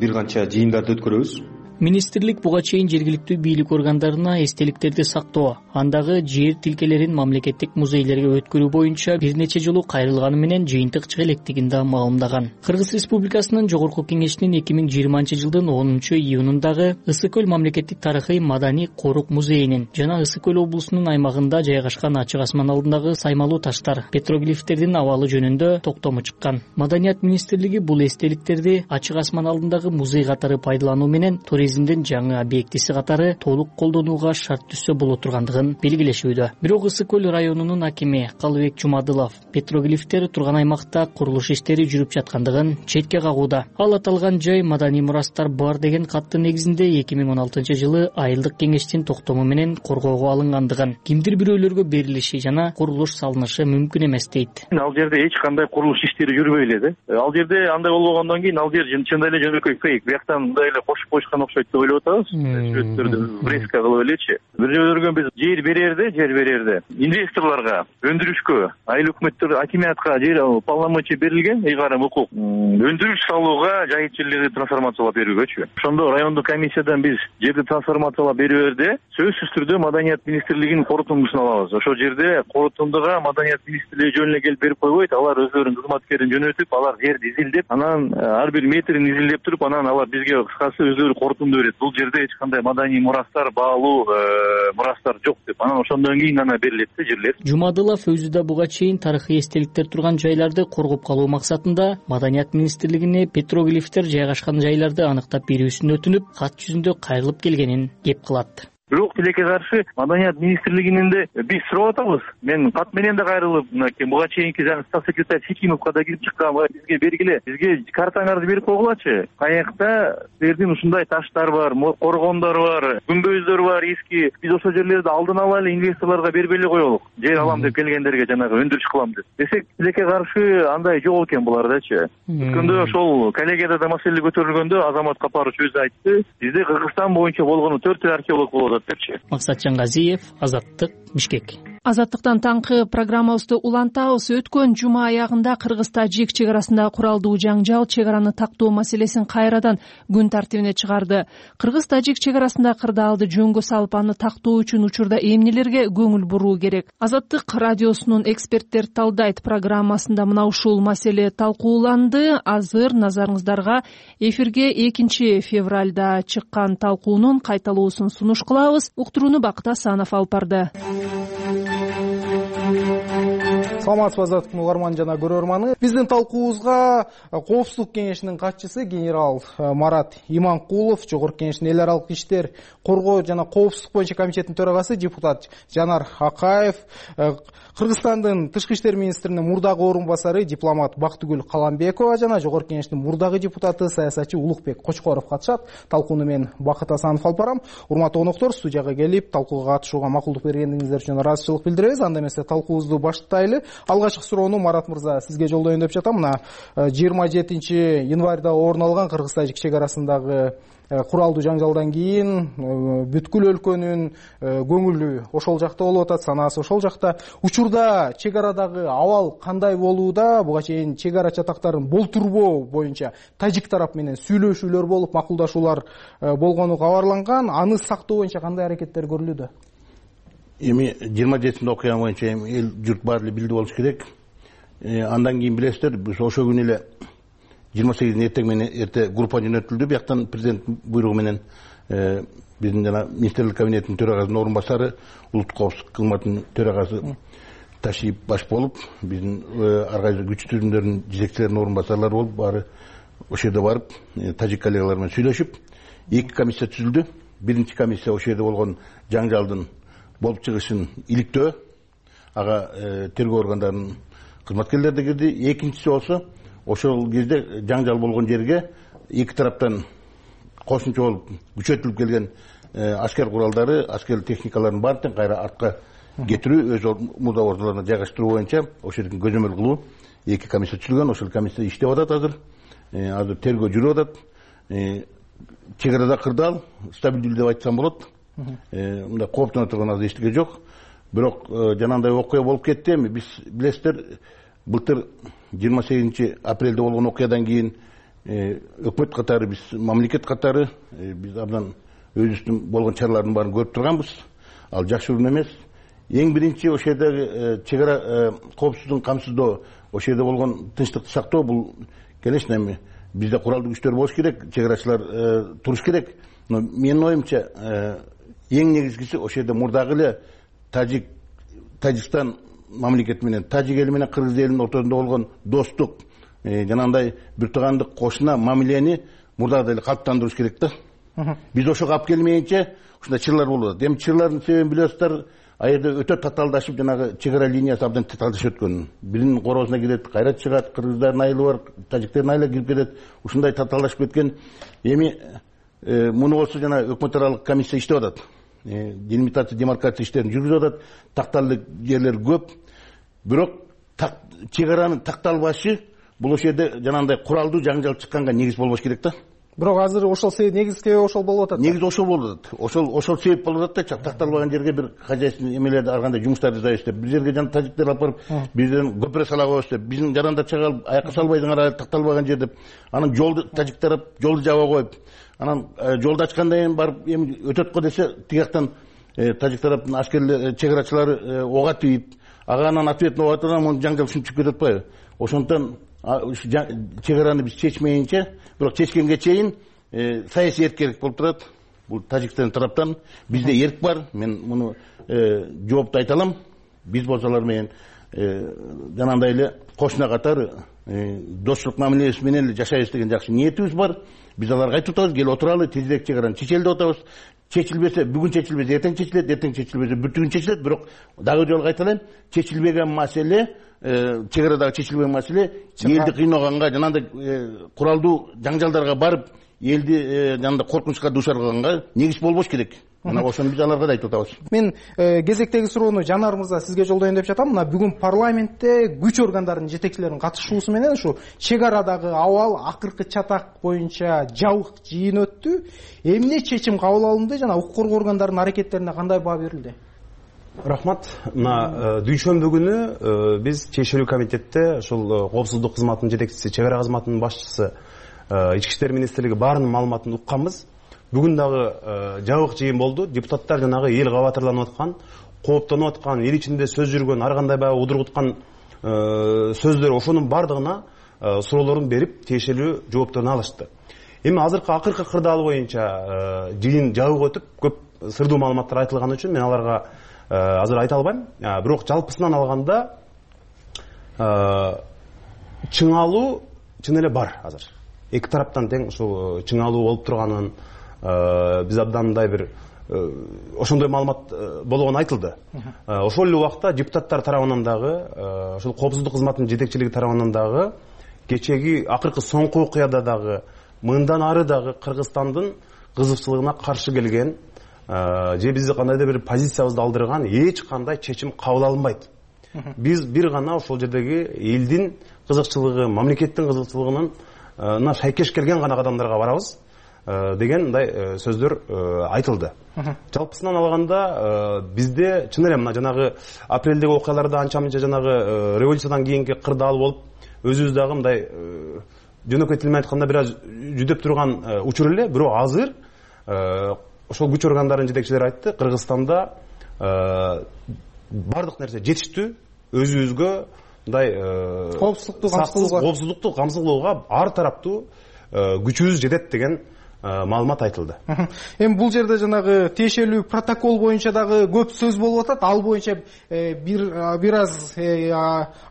бир канча жыйындарды өткөрөбүз. Министрлик буга чейин жергиликтүү бийлик органдарына эстеликтерди сактоо, андагы жер тилкелерин мамлекеттик музейлерге өткөрүү боюнча бир нече жолу кайрылганы менен жыйынтык чыга электигин да маалымдаган. Кыргыз Республикасынын Жогорку Кеңешинин эки миң жыйырманчы жылдын онунчу июнундагы Ысык Көл мамлекеттик тарыхый маданий корук музейинин жана Ысык Көл облусунун аймагында жайгашкан ачык асман алдындагы саймалуу таштар, петроглифтердин абалы жөнүндө токтому чыккан. Маданият министрлиги бул эстеликтерди ачык асман алдындагы музей катары пайдалануу менен туризмдин жаңы объектиси катары толук колдонууга шарт түзсө боло тургандыгын белгилешүүдө. Бирок Ысык Көл районунун акими Калыбек Жумадылов петроглифтер турган аймакта курулуш иштери жүрүп жаткандыгын четке кагууда. Ал аталган жай маданий мурастар бар деген каттын негизинде эки миң он алтынчы жылы айылдык кеңештин токтому менен коргоого алынгандыгын, кимдир бирөөлөргө берилиши жана курулуш салынышы мүмкүн эмес дейт. Ал жерде эч кандай курулуш иштери жүрбөй эле да. Ал жерде андай болбогондон кийин ал жер чындап эле жөнөкөй фейк. Бияктан мындай эле кошуп коюшкан окшойт. болбошот деп ойлоп атабыз. Сүрөттөрдү врезка кылып элечи. Бир жолдоргөн биз жер берерде, жер берерде инвесторлорго, өндүрүшкө, айыл өкмөттөр, акимиятка жер полномочия берилген, ыйгарым укук. Өндүрүш салууга, жайыт жерлерди трансформациялап берүүгөчү. Ошондо райондук комиссиядан биз жерди трансформациялап берүүбөрдө сөзсүз түрдө Маданият министрлигинин корутундусун алабыз. Ошол жерде корутундуга Маданият министрлиги жөнүнө келип берип койбойт. Алар өздөрүнүн кызматкерин жөнөтүп, алар жерди изилдеп, анан ар бир метрин изилдеп туруп, анан алар бизге кыскасы өздөрү корутунду берет. Бул жерде эч кандай маданий мурастар, баалуу мурастар жок деп. Анан ошондон кийин гана берилет да жерлер. Жумадылов өзү буга чейин тарыхый эстеликтер турган жайларды коргоп калуу максатында Маданият министрлигине петроглифтер жайгашкан жайларды аныктап берүүсүн өтүнүп, кат жүзүндө кайрылып келгенин кеп кылат. Бирок тилекке каршы Маданият министрлигинин де биз сурап атабыз. Мен кат менен да кайрылып, мынакей буга чейинки жаңы статс секретарь Хикимовго да кирип чыккан, бизге бергиле, бизге картаңарды берип койгулачы. Каякта силердин ушундай таштар бар, коргондор бар, күмбөздөр бар, эски. Биз ошол жерлерди алдын ала эле инвесторлорго бербей эле коелук. Жер алам деп келгендерге жанагы өндүрүш кылам деп. Десек, тилекке каршы андай жок экен булардачы. Өткөндө ошол коллегияда да маселе көтөрүлгөндө Азамат Капарович өзү айтты, бизде Кыргызстан боюнча болгону төрт эл археолог болот. Максатжан Газиев, Азаттык, Бишкек. Азаттыктан таңкы программабызды улантабыз. Өткөн жума аягында Кыргыз-Тажик чек арасындагы куралдуу жаңжал чек араны тактоо маселесин кайрадан күн тартибине чыгарды. Кыргыз-Тажик чек арасында кырдаалды жөнгө салып, аны тактоо үчүн учурда эмнелерге көңүл буруу керек? Азаттык радиосунун эксперттер талдайт программасында мына ушул маселе талкууланды. Азыр назарыңыздарга эфирге экинчи февралда чыккан талкуунун кайталоосун сунуш кылабыз. Уктурууну Бакыт Асанов алып барды. Саламатсызбы азаттыктын угарманы жана көрөрманы. Биздин талкуубузга Коопсуздук кеңешинин катчысы генерал Марат Иманкулов, Жогорку Кеңештин эл аралык иштер, коргоо жана коопсуздук боюнча комитетинин төрагасы депутат Жанар Акаев, Кыргызстандын тышкы иштер министринин мурдагы орун басары дипломат Бактыгүл Каламбекова жана Жогорку Кеңештин мурдагы депутаты саясатчы Улукбек Кочкоров катышат. Талкууну мен Бакыт Асанов алып барам. Урматтуу коноктор, студияга келип талкууга катышууга макулдук бергениңиздер үчүн ыраазычылык билдиребиз. Анда эмесе талкуубузду баштайлы. Алгачкы суроону Марат мырза сизге жолдоюн деп жатам. Мына жыйырма жетинчи январда орун алган Кыргыз-Тажик чек арасындагы куралдуу жаңжалдан кийин бүткүл өлкөнүн көңүлү ошол жакта болуп атат, санаасы ошол жакта. Учурда чек арадагы абал кандай болууда? Буга чейин чек ара чатактарын болтурбоо боюнча тажик тарап менен сүйлөшүүлөр болуп, макулдашуулар болгону кабарланган. Аны сактоо боюнча кандай аракеттер көрүлүүдө? Эми жыйырма жетинчи окуя боюнча эл журт баары эле билди болуш керек. Андан кийин билесиздер, биз ошол күнү эле жыйырма сегизинде эртең менен эрте группа жөнөтүлдү. Бияктан президент буйругу менен биздин жана министрлик кабинетинин төрагасынын орун басары, улуттук коопсуздук кызматынын төрагасы Ташип баш болуп, биздин ар кайсы күч түзүмдөрүнүн жетекчилеринин орун басарлары болуп, баары ошол жерде барып, тажик коллегалар менен сүйлөшүп, эки комиссия түзүлдү. Биринчи комиссия ошол жерде болгон жаңжалдын болуп чыгышын иликтөө, ага тергөө органдарынын кызматкерлери да кирди. Экинчиси болсо ошол кезде жаңжал болгон жерге эки тараптан кошумча болуп күчөтүлүп келген аскер куралдары, аскер техникаларын баардыгын кайра артка кетирүү, өз мурда ордуларына жайгаштыруу боюнча ошол жерден көзөмөл кылуу эки комиссия түзүлгөн. Ошол комиссия иштеп атат азыр. Азыр тергөө жүрүп атат. Чек арада кырдаал стабилдүү деп айтсам болот. Мындай кооптоно турган азыр эчтеке жок. Бирок жанагындай окуя болуп кетти. Эми биз билесиздер, былтыр жыйырма сегизинчи апрелде болгон окуядан кийин өкмөт катары, биз мамлекет катары биз абдан өзүбүздүн болгон чаралардын баарын көрүп турганбыз. Ал жакшы урун эмес. Эң биринчи ошол жердеги чек ара коопсуздугун камсыздоо, ошол жерде болгон тынчтыкты сактоо, бул конечно эми бизде куралдуу күчтөр болуш керек, чек арачылар туруш керек. Но менин оюмча эң негизгиси ошол жерде мурдагы эле Тажик Тажикстан мамлекети менен тажик эли менен кыргыз элинин ортосунда болгон достук, жанагындай бир туугандык кошуна мамилени мурдагыдай эле калыптандырыш керек да. Биз ошого алып келмейинче ушундай чырлар болуп атат. Эми чырлардын себебин билесиздер, а жерде өтө татаалдашып, жанагы чек ара линиясы абдан татаалдашып өткөн. Биринин короосуна кирет, кайра чыгат, кыргыздардын айылы бар, тажиктердин айылы кирип кетет. Ушундай татаалдашып кеткен. Эми муну болсо жана өкмөт аралык комиссия иштеп атат. Делимитация, демаркация иштерин жүргүзүп атат. Такталдык жерлер көп. Бирок чек аранын такталбашы бул ошол жерде жанагындай куралдуу жаңжал чыкканга негиз болбош керек да. бирок азыр ошол себеп негизги себеп ошол болуп атат. Негизи ошол болуп атат. Ошол ошол себеп болуп атат да, такталбаган жерге бир хозяйственный эмелерди ар кандай жумуштарды жасайбыз деп. Бир жерге жана тажиктер алып барып, бизден көпүрө сала коебуз деп. Биздин жарандар чыгарып, аякка салбайдыңар такталбаган жер деп. Анан жолду тажиктер жолду жаба коюп, анан жолду ачкандан кийин барып эми өтөт го десе, тигияктан тажик тараптын аскерлер, чек арачылары ого тийип, ага анан ответный болуп атат, анан жаңжал ушинтип кетип атпайбы? Ошондон чек араны биз чечмейинче, бирок чечкенге чейин саясий эркек болуп турат. Бул тажиктардын тараптан бизде эрк бар. Мен муну жоопту айта алам. Биз болсолар менен жанагындай эле кошуна катары достук мамилеси менен эле жашайбыз деген жакшы ниетибиз бар. Биз аларга айтып атабыз, кел отуралы, тезирээк чек араны чечели деп атабыз. Чечилбесе, бүгүн чечилбесе, эртең чечилет, эртең чечилбесе, бүтүн чечилет, бирок дагы жолу кайталайм, чечилбеген маселе, чек арадагы чечилбеген маселе элди кыйноганга, жанагындай куралдуу жаңжалдарга барып, элди жанагындай коркунучка дуушар кылганга негиз болбош керек. Мына ошону биз аларга да айтып атабыз. Мен кезектеги суроону Жанар мырза сизге жолдоюн деп жатам. Мына бүгүн парламентте күч органдарынын жетекчилеринин катышуусу менен ушу чек арадагы абал акыркы чатак боюнча жабык жыйын өттү. Эмне чечим кабыл алынды жана укук коргоо органдарынын аракеттерине кандай баа берилди? Рахмат. Мына дүйшөмбү күнү биз чечилүү комитетте ушул коопсуздук кызматынын жетекчиси, чек ара кызматынын башчысы, ички иштер министрлиги баарынын маалыматын укканбыз. Бүгүн дагы жабык жыйын болду. Депутаттар жанагы эл кабатырланып аткан, кооптонуп аткан, эл ичинде сөз жүргөн, ар кандай баягы удургуткан сөздөр, ошонун бардыгына суроолорун берип, тиешелүү жоопторун алышты. Эми азыркы акыркы кырдаал боюнча жыйын жабык өтүп, көп сырдуу маалыматтар айтылган үчүн мен аларга азыр айта албайм. Бирок жалпысынан алганда чыңалуу чын эле бар азыр. Эки тараптан тең ушул чыңалуу болуп турганын биз абдан мындай бир ошондой маалымат болгону айтылды. Ошол эле убакта депутаттар тарабынан дагы, ошол коопсуздук кызматынын жетекчилиги тарабынан дагы кечеги акыркы соңку окуяда дагы, мындан ары дагы Кыргызстандын кызыкчылыгына каршы келген, же бизди кандайдыр бир позициябызды алдырган эч кандай чечим кабыл алынбайт. Биз бир гана ошол жердеги элдин кызыкчылыгы, мамлекеттин кызыкчылыгынын шайкеш келген гана кадамдарга барабыз деген мындай сөздөр айтылды. Жалпысынан алганда бизде чын эле мына жанагы апрелдеги окуяларда анча-мынча жанагы революциядан кийинки кырдаал болуп, өзүбүз дагы мындай жөнөкөй тил менен айтканда бир аз жүдөп турган учур эле, бирок азыр ошол күч органдарынын жетекчилери айтты, Кыргызстанда бардык нерсе жетиштүү, өзүбүзгө мындай коопсуздукту камсыздоого ар тараптуу күчүбүз жетет деген маалымат айтылды. Эми бул жерде жанагы тиешелүү протокол боюнча дагы көп сөз болуп атат. Ал боюнча бир бир аз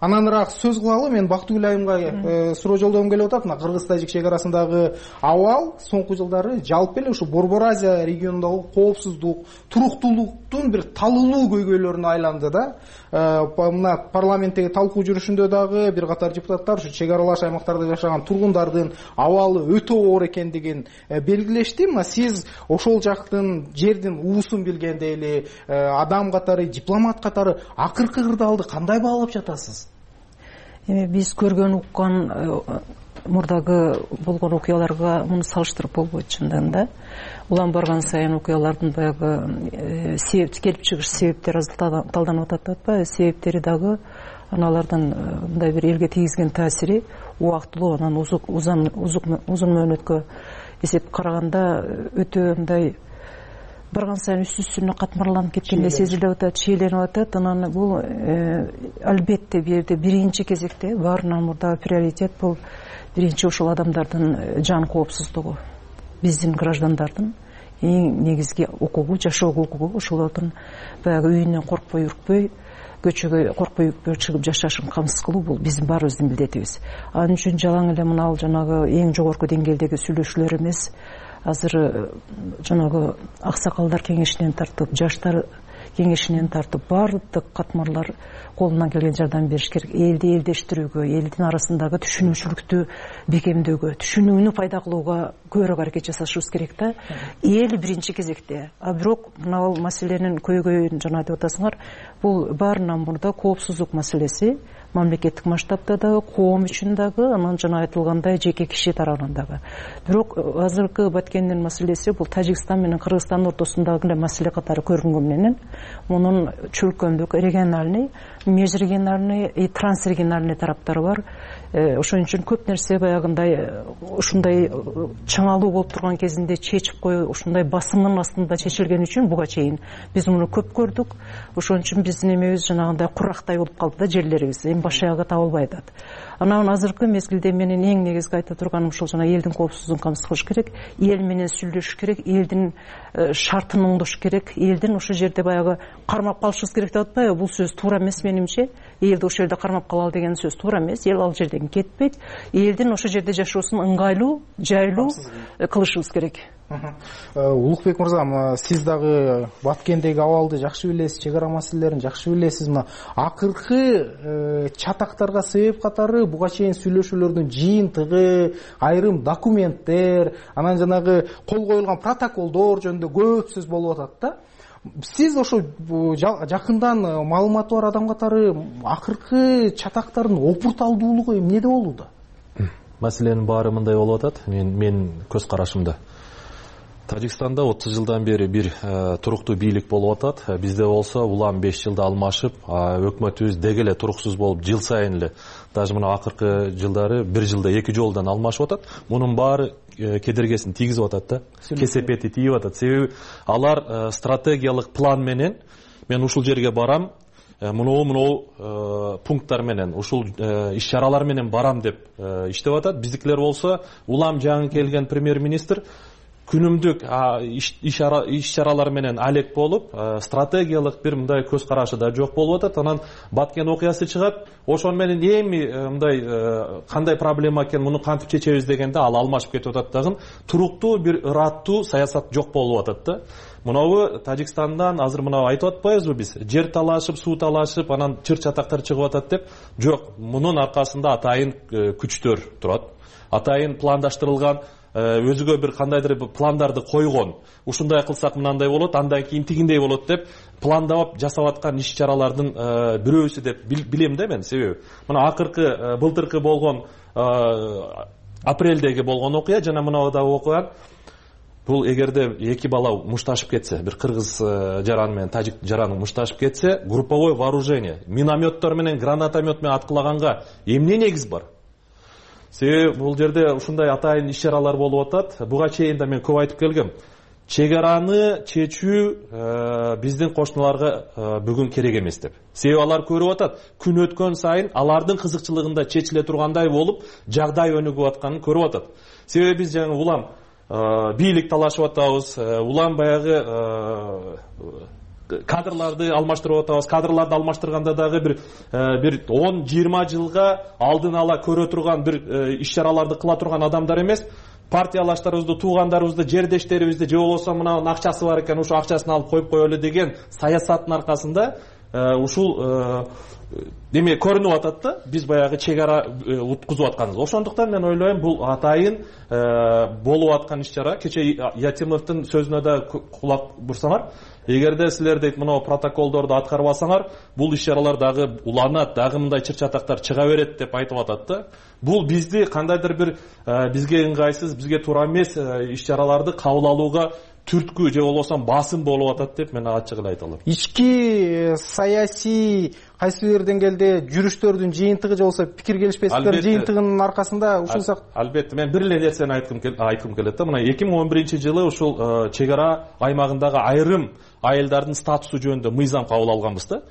ананыраак сөз кылалы. Мен Бактыгүл айымга суроо жолдогум келип атат. Мына Кыргыз-Тажик чек арасындагы абал соңку жылдары жалпы эле ушу Борбор Азия регионундагы коопсуздук, туруктуулуктун бир талуулуу көйгөйлөрүнө айланды да. Мына парламенттеги талкуу жүрүшүндө дагы бир катар депутаттар ушу чек аралаш аймактарда жашаган тургундардын абалы өтө оор экендигин белгилешти. Мына сиз ошол жактын жердин уусун билгенде эле адам катары, дипломат катары акыркы кырдаалды кандай баалап жатасыз? Эми биз көргөн, уккан мурдагы болгон окуяларга муну салыштырып болбойт чындыгында. Улам барган сайын окуялардын баягы себеп келип чыгыш себептери талданып атат атпайбы? Себептери дагы аналардын мындай бир элге тийгизген таасири убактылуу, анан узун мөөнөткө эсеп караганда өтө мындай барган сайын үстү-үстүнө катмарланып кеткендей сезилип атат, чийленип атат. Анан бул албетте бул жерде биринчи кезекте баарынан мурда приоритет бул биринчи ушул адамдардын жан коопсуздугу, биздин граждандардын эң негизги укугу, жашоого укугу, ошолордун баягы үйүнөн коркпой үркпөй, көчөгө коркпой үркпөй чыгып жашашын камсыз кылуу бул биздин баарыбыздын милдетибиз. Ал үчүн жалаң эле мына жанагы эң жогорку деңгээлдеги сүйлөшүүлөр эмес, азыр жанагы аксакалдар кеңешинен тартып, жаштар кеңешинен тартып баардык катмарлар колунан келген жардам бериш керек. Элди элдештирүүгө, элдин арасындагы түшүнүүчүлүктү бекемдөөгө, түшүнүүнү пайда кылууга көбүрөөк аракет жасашыбыз керек да. Эл биринчи кезекте. А бирок мына маселенин көйгөйүн жана деп атасыңар, бул баарынан мурда коопсуздук маселеси. Мамлекеттик масштабта дагы, коом үчүн дагы, анан жана айтылгандай жеке киши тарабынан дагы. Бирок азыркы Баткендин маселеси бул Тажикстан менен Кыргызстандын ортосундагы эле маселе катары көрүнгөн менен мунун чөлкөмдүк, региональный, межрегиональный и трансрегиональный тараптары бар. Ошон үчүн көп нерсе баягындай ушундай чыңалуу болуп турган кезинде чечип коюу, ушундай басымдын астында чечилген үчүн буга чейин биз муну көп көрдүк. Ошон үчүн биздин эмебиз жанагындай курактай болуп калды да, жерлерибиз эми баш аягы табылбай атат. Анан азыркы мезгилде менин эң негизги айта турганым ушул жана элдин коопсуздугун камсыз кылыш керек, эл менен сүйлөшүш керек, элдин шартын оңдош керек, элдин ошол жерде баягы кармап калышыбыз керек деп атпайбы? Бул сөз туура эмес менимче. Элди ошол жерде кармап калалы деген сөз туура эмес. Эл ал жерден кетпейт. Элдин ошол жерде жашоосун ыңгайлуу, жайлуу кылышыбыз керек. Улукбек мырза, сиз дагы Баткендеги абалды жакшы билесиз, чек ара маселелерин жакшы билесиз. Мына акыркы чатактарга себеп катары буга чейин сүйлөшүүлөрдүн жыйынтыгы, айрым документтер, анан жанагы кол коюлган протоколдор жөнүндө көп сөз болуп атат да. Сиз ошо жакындан маалыматы бар адам катары акыркы чатактардын опурталдуулугу эмнеде болууда? Маселенин баары мындай болуп атат. Мен мен көз карашымда Тажикстанда отуз жылдан бери бир туруктуу бийлик болуп атат. Бизде болсо улам беш жылда алмашып, өкмөтүбүз деги эле туруксуз болуп, жыл сайын эле, даже мына акыркы жылдары бир жылда эки жолдон алмашып атат. Мунун баары кедергесин тийгизип атат да. Кесепети тийип атат. Себеби алар стратегиялык план менен мен ушул жерге барам, мынау мынау пункттар менен, ушул иш-чаралар менен барам деп иштеп атат. Биздикилер болсо улам жаңы келген премьер-министр күнүмдүк иш-чаралар менен алек болуп, стратегиялык бир мындай көз карашы да жок болуп атат. Анан Баткен окуясы чыгат, ошон менен эми мындай кандай проблема экен, муну кантип чечебиз дегенде ал алмашып кетип атат дагы. Туруктуу бир ыраттуу саясат жок болуп атат да. Мынабы Тажикстандан азыр мына айтып атпайбызбы биз? Жер талашып, суу талашып, анан чыр-чатактар чыгып атат деп. Жок, мунун аркасында атайын күчтөр турат. Атайын пландаштырылган, өзүгө бир кандайдыр пландарды койгон. Ушундай кылсак мынандай болот, андан кийин тигиндей болот деп пландап жасап аткан иш-чаралардын бирөөсү деп билем да мен. Себеби мына акыркы былтыркы болгон апрелдеги болгон окуя жана мынада окуя, бул эгерде эки бала мушташып кетсе, бир кыргыз жаран менен тажик жараны мушташып кетсе, групповой вооружение, минометтор менен, гранатомет менен аткылаганга эмне негиз бар? Себеби бул жерде ушундай атайын иш-чаралар болуп атат. Буга чейин да мен көп айтып келгем. Чек араны чечүү биздин кошуналарга бүгүн керек эмес деп. Себеби алар көрүп атат, күн өткөн сайын алардын кызыкчылыгында чечиле тургандай болуп, жагдай өнүгүп атканын көрүп атат. Себеби биз жаңы улам бийлик талашып атабыз, улам баягы кадрларды алмаштырып атабыз. Кадрларды алмаштырганда дагы бир бир он жыйырма жылга алдын ала көрө турган бир иш-чараларды кыла турган адамдар эмес, партиялаштарыбызды, туугандарыбызды, жердештерибизди, же болбосо мына акчасы бар экен, ошо акчасын алып коюп коелу деген саясаттын аркасында ушул деме көрүнүп атат да, биз баягы чек ара уткузуп атканыбыз. Ошондуктан мен ойлойм, бул атайын болуп аткан иш-чара. Кече Ятимовдун сөзүнө да кулак бурсаңар, эгерде силер дейт мына протоколдорду аткарбасаңар, бул иш-чаралар дагы уланат, дагы мындай чыр-чатактар чыга берет деп айтып атат да. Бул бизди кандайдыр бир бизге ыңгайсыз, бизге туура эмес иш-чараларды кабыл алууга түрткү же болбосо басым болуп атат деп мен ачык эле айта алам. Ички саясий кайсы бир деңгээлде жүрүштөрдүн жыйынтыгы же болбосо пикир келишпестиктердин жыйынтыгынын аркасында ушул сак. Албетте мен бир эле нерсени айткым келет да. Мына эки миң он биринчи жылы ушул чек ара аймагындагы айрым айылдардын статусу жөнүндө мыйзам кабыл алганбыз да.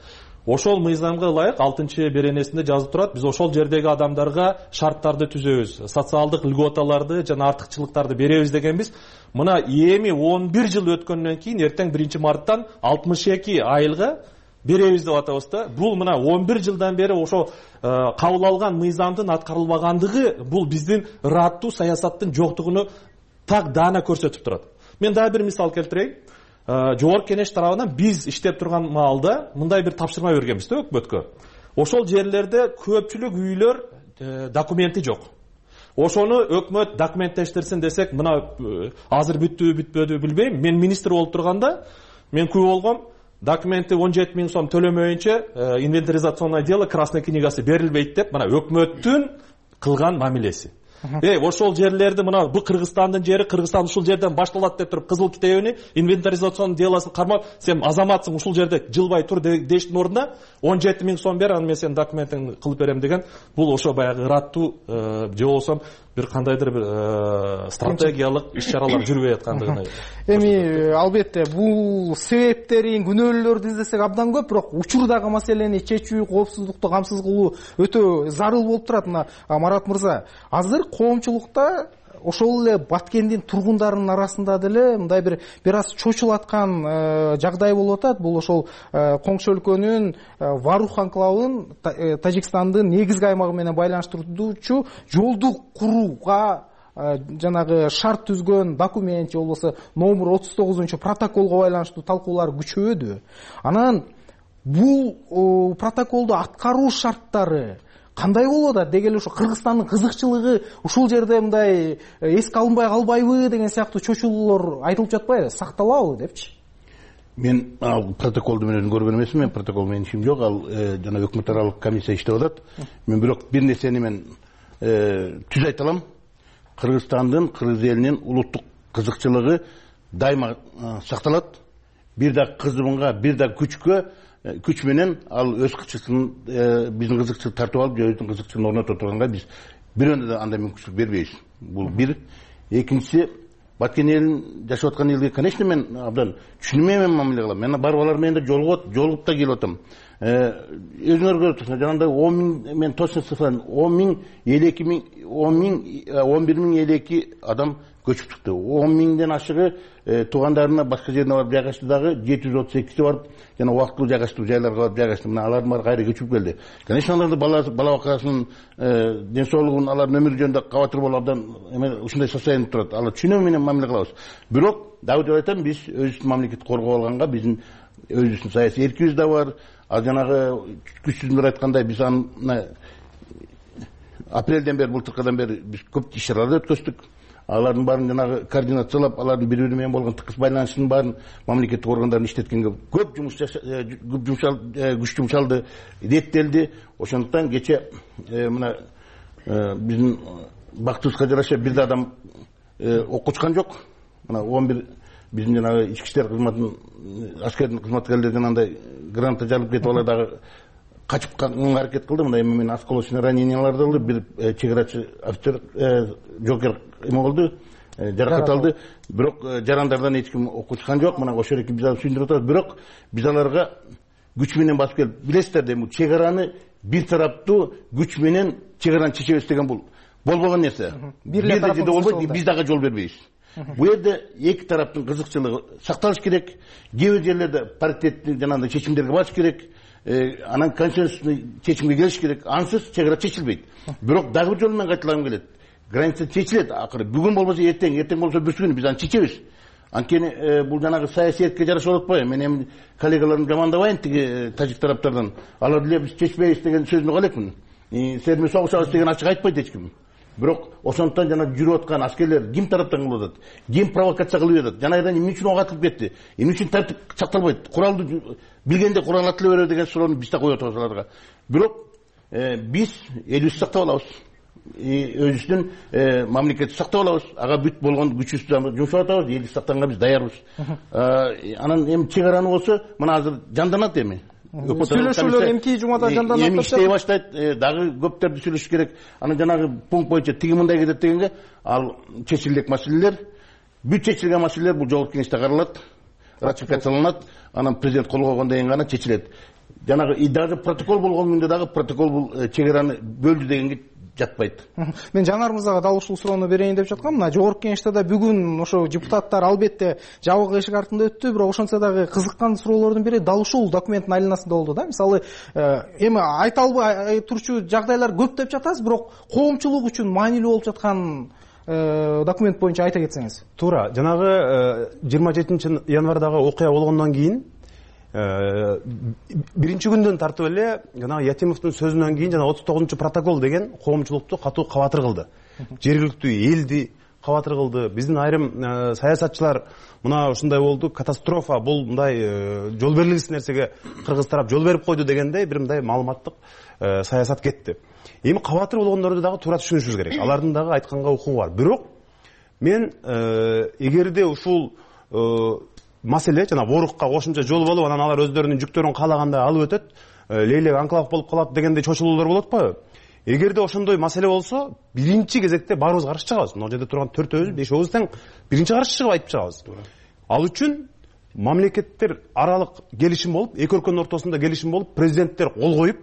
Ошол мыйзамга ылайык алтынчы беренесинде жазып турат, биз ошол жердеги адамдарга шарттарды түзөбүз, социалдык льготаларды жана артыкчылыктарды беребиз дегенбиз. Мына эми он бир жыл өткөндөн кийин эртең биринчи марттан алтымыш эки айылга беребиз деп атабыз да. Бул мына он бир жылдан бери ошо кабыл алган мыйзамдын аткарылбагандыгы, бул биздин ыраттуу саясаттын жоктугуну так даана көрсөтүп турат. Мен дагы бир мисал келтирейин. жогорку кеңеш тарабынан биз иштеп турган маалда мындай бир тапшырма бергенбиз да өкмөткө. Ошол жерлерде көпчүлүк үйлөр документи жок. Ошону өкмөт документтештирсин десек, мына азыр бүттүбү бүтпөдү билбейм. Мен министр болуп турганда мен күбө болгом, документи он жети миң сом төлөмөйүнчө инвентаризационный дело красный книгасы берилбейт деп, мына өкмөттүн кылган мамилеси. Эй, ошол жерлерди мына бу Кыргызстандын жери, Кыргызстан ушул жерден башталат деп туруп кызыл китебини, инвентаризационный делосын кармап, сен азаматсың, ушул жерде жылбай тур дештин ордуна он жети миң сом бер, аны мен сенин документиңди кылып берем деген, бул ошо баягы ыраттуу же болсо бир кандайдыр бир стратегиялык иш-чаралар жүрбөй аткандыгына. Эми албетте бул себептерин, күнөөлөрдү издесек абдан көп, бирок учурдагы маселени чечүү, коопсуздукту камсыз кылуу өтө зарыл болуп турат. Мына Марат мырза, азыр коомчулукта ошол эле Баткендин тургундарынын арасында деле мындай бир бир аз чочулаткан жагдай болуп атат. Бул ошол коңшу өлкөнүн Варух анклавын Тажикстандын негизги аймагы менен байланыштыруучу жолду курууга жанагы шарт түзгөн документ же болбосо номер отуз тогузунчу протоколго байланыштуу талкуулар күчөдү. Анан бул протоколду аткаруу шарттары кандай болуп атат? Деги эле ошо Кыргызстандын кызыкчылыгы ушул жерде мындай эске алынбай калбайбы деген сыяктуу чочулуулар айтылып жатпайбы? Сакталабы депчи? Мен ал протоколду менен көргөн эмесмин, мен протокол менен ишим жок. Ал жана өкмөт аралык комиссия иштеп атат. Мен бирок бир нерсени мен түз айта алам. Кыргызстандын, кыргыз элинин улуттук кызыкчылыгы дайыма сакталат. Бир да кызымга, бир да күчкө күч менен ал өз кызыкчылыгын биздин кызыкчылык тартып алып, өзүнүн кызыкчылыгын орнотуп турганга биз бирөөндө да андай мүмкүнчүлүк бербейбиз. Бул бир. Экинчиси, Баткен элин жашап аткан элге, конечно, мен абдан түшүнмөйм мамиле кылам. Мен барып алар менен да жолугуп, жолугуп да келип атам. Өзүңөр көрүп турсуңар, жанагындай он миң, мен точно цифраны он миң, элүү эки миң, он миң, он бир миң элүү эки адам көчүп чыкты. он миңден ашыгы туугандарына башка жерине барып жайгашты дагы, жети жүз отуз экиси барып жана убактылуу жайгаштуу жайларга барып жайгашты. Мына алардын баары кайра көчүп келди. Конечно, алардын бала бала бакасынын ден соолугун, алардын өмүрү жөнүндө кабатыр болуп абдан ушундай состояние турат. Алар түшүнүү менен мамиле кылабыз. Бирок дагы деп айтам, биз өзүбүздүн мамлекетти коргоп алганга биздин өзүбүздүн саясий эркибиз да бар. Ал жанагы күчсүздөр айткандай, биз аны апрелден бери, былтыркыдан бери биз көп иш-чаралар өткөздүк. Алардын баарын жанагы координациялап, алардын бири-бири менен болгон тыкыз байланышынын баарын мамлекеттик органдарын иштеткенге көп жумуш күч жумшалды, реттелди. Ошондуктан кече мына биздин бактыбызга жараша бир да адам окучкан жок. Мына он бир биздин жанагы ички иштер кызматынын аскердин кызматкерлеринен андай граната жарылып кетип алар дагы качып калганга аракет кылды. Мындай менен осколочный раненияларды алды. Бир чегарачы офицер жокер эме болду, жаракат алды. Бирок жарандардан эч ким окучкан жок. Мына ошол эки биз алып сүйүндүрүп атабыз. Бирок биз аларга күч менен басып келип, билесиздер да, бул чегараны бир тараптуу күч менен чегараны чечебиз деген бул болбогон нерсе. Бир жерде болбойт, биз дагы жол бербейбиз. Бул жерде эки тараптын кызыкчылыгы сакталыш керек. Кээ бир жерлерде паритеттик жанагындай чечимдерге барыш керек. Анан консенсусный чечимге келиш керек. Ансыз чегара чечилбейт. Бирок дагы бир жолу менен кайталагым келет. Граница чечилет акыры. Бүгүн болбосо эртең, эртең болсо бүрсү күнү биз аны чечебиз. Анткени бул жанагы саясий эркке жараша болуп атпайбы? Мен эми коллегаларымды жамандабайын, тиги тажик тараптардан. Алар деле биз чечпейбиз деген сөзүнө калекмин. Силер согушабыз деген ачык айтпайт эч ким. Бирок ошондуктан жана жүрүп аткан аскерлер ким тараптан кылып атат? Ким провокация кылып атат? Жанагыдан эмне үчүн ок атылып кетти? Эмне үчүн тартип сакталбайт? Куралды билгенде курал атыла берет деген суроону биз да коюп атабыз аларга. Бирок биз элибизди сактап алабыз. Өзүбүздүн мамлекетти сактап алабыз. Ага бүт болгон күчүбүздү жумшап атабыз. Элди сактаганга биз даярбыз. Анан эми чегараны болсо, мына азыр жанданат эми. Сүйлөшүүлөр эмки жумада жанданат. Эми иштей баштайт, дагы көптөрдү сүйлөшүш керек. Анан жанагы пункт боюнча тиги мындай кетет дегенге, ал чечилдек маселелер, бүт чечилген маселелер бул жогорку кеңеште каралат, ратификацияланат, анан президент кол койгондон кийин гана чечилет. Жанагы и даже протокол болгон күндө дагы протокол бул чегараны бөлдү дегенге жатпайт. Мен Жанар мырзага дал ушул суроону берейин деп жаткам. Мына жогорку кеңеште да бүгүн ошо депутаттар албетте жабык эшик артында өттү, бирок ошентсе дагы кызыккан суроолордун бири дал ушул документтин айланасында болду да. Мисалы, эми айта албай турчу жагдайлар көп деп жатасыз, бирок коомчулук үчүн маанилүү болуп жаткан документ боюнча айта кетсеңиз. Туура, жанагы жыйырма жетинчи январдагы окуя болгондон кийин биринчи күндөн тартып эле жанагы Ятимовдун сөзүнөн кийин жана отуз тогузунчу протокол деген коомчулукту катуу кабатыр кылды. Жергиликтүү элди кабатыр кылды. Биздин айрым саясатчылар мына ушундай болду, катастрофа, бул мындай жол берилгисиз нерсеге кыргыз тарап жол берип койду дегендей бир мындай маалыматтык саясат кетти. Эми кабатыр болгондорду дагы туура түшүнүшүбүз керек. Алардын дагы айтканга укугу бар. Бирок мен эгерде ушул маселе жана Борукка кошумча жол болуп, анан алар өздөрүнүн жүктөрүн каалагандай алып өтөт, Лейлек анклав болуп калат дегендей чочулуулар болот атпайбы? Эгерде ошондой маселе болсо, биринчи кезекте баарыбыз каршы чыгабыз. Мына жерде турган төртөөбүз, бешөөбүз тең биринчи каршы чыгып айтып чыгабыз. Ал үчүн мамлекеттер аралык келишим болуп, эки өлкөнүн ортосунда келишим болуп, президенттер кол коюп,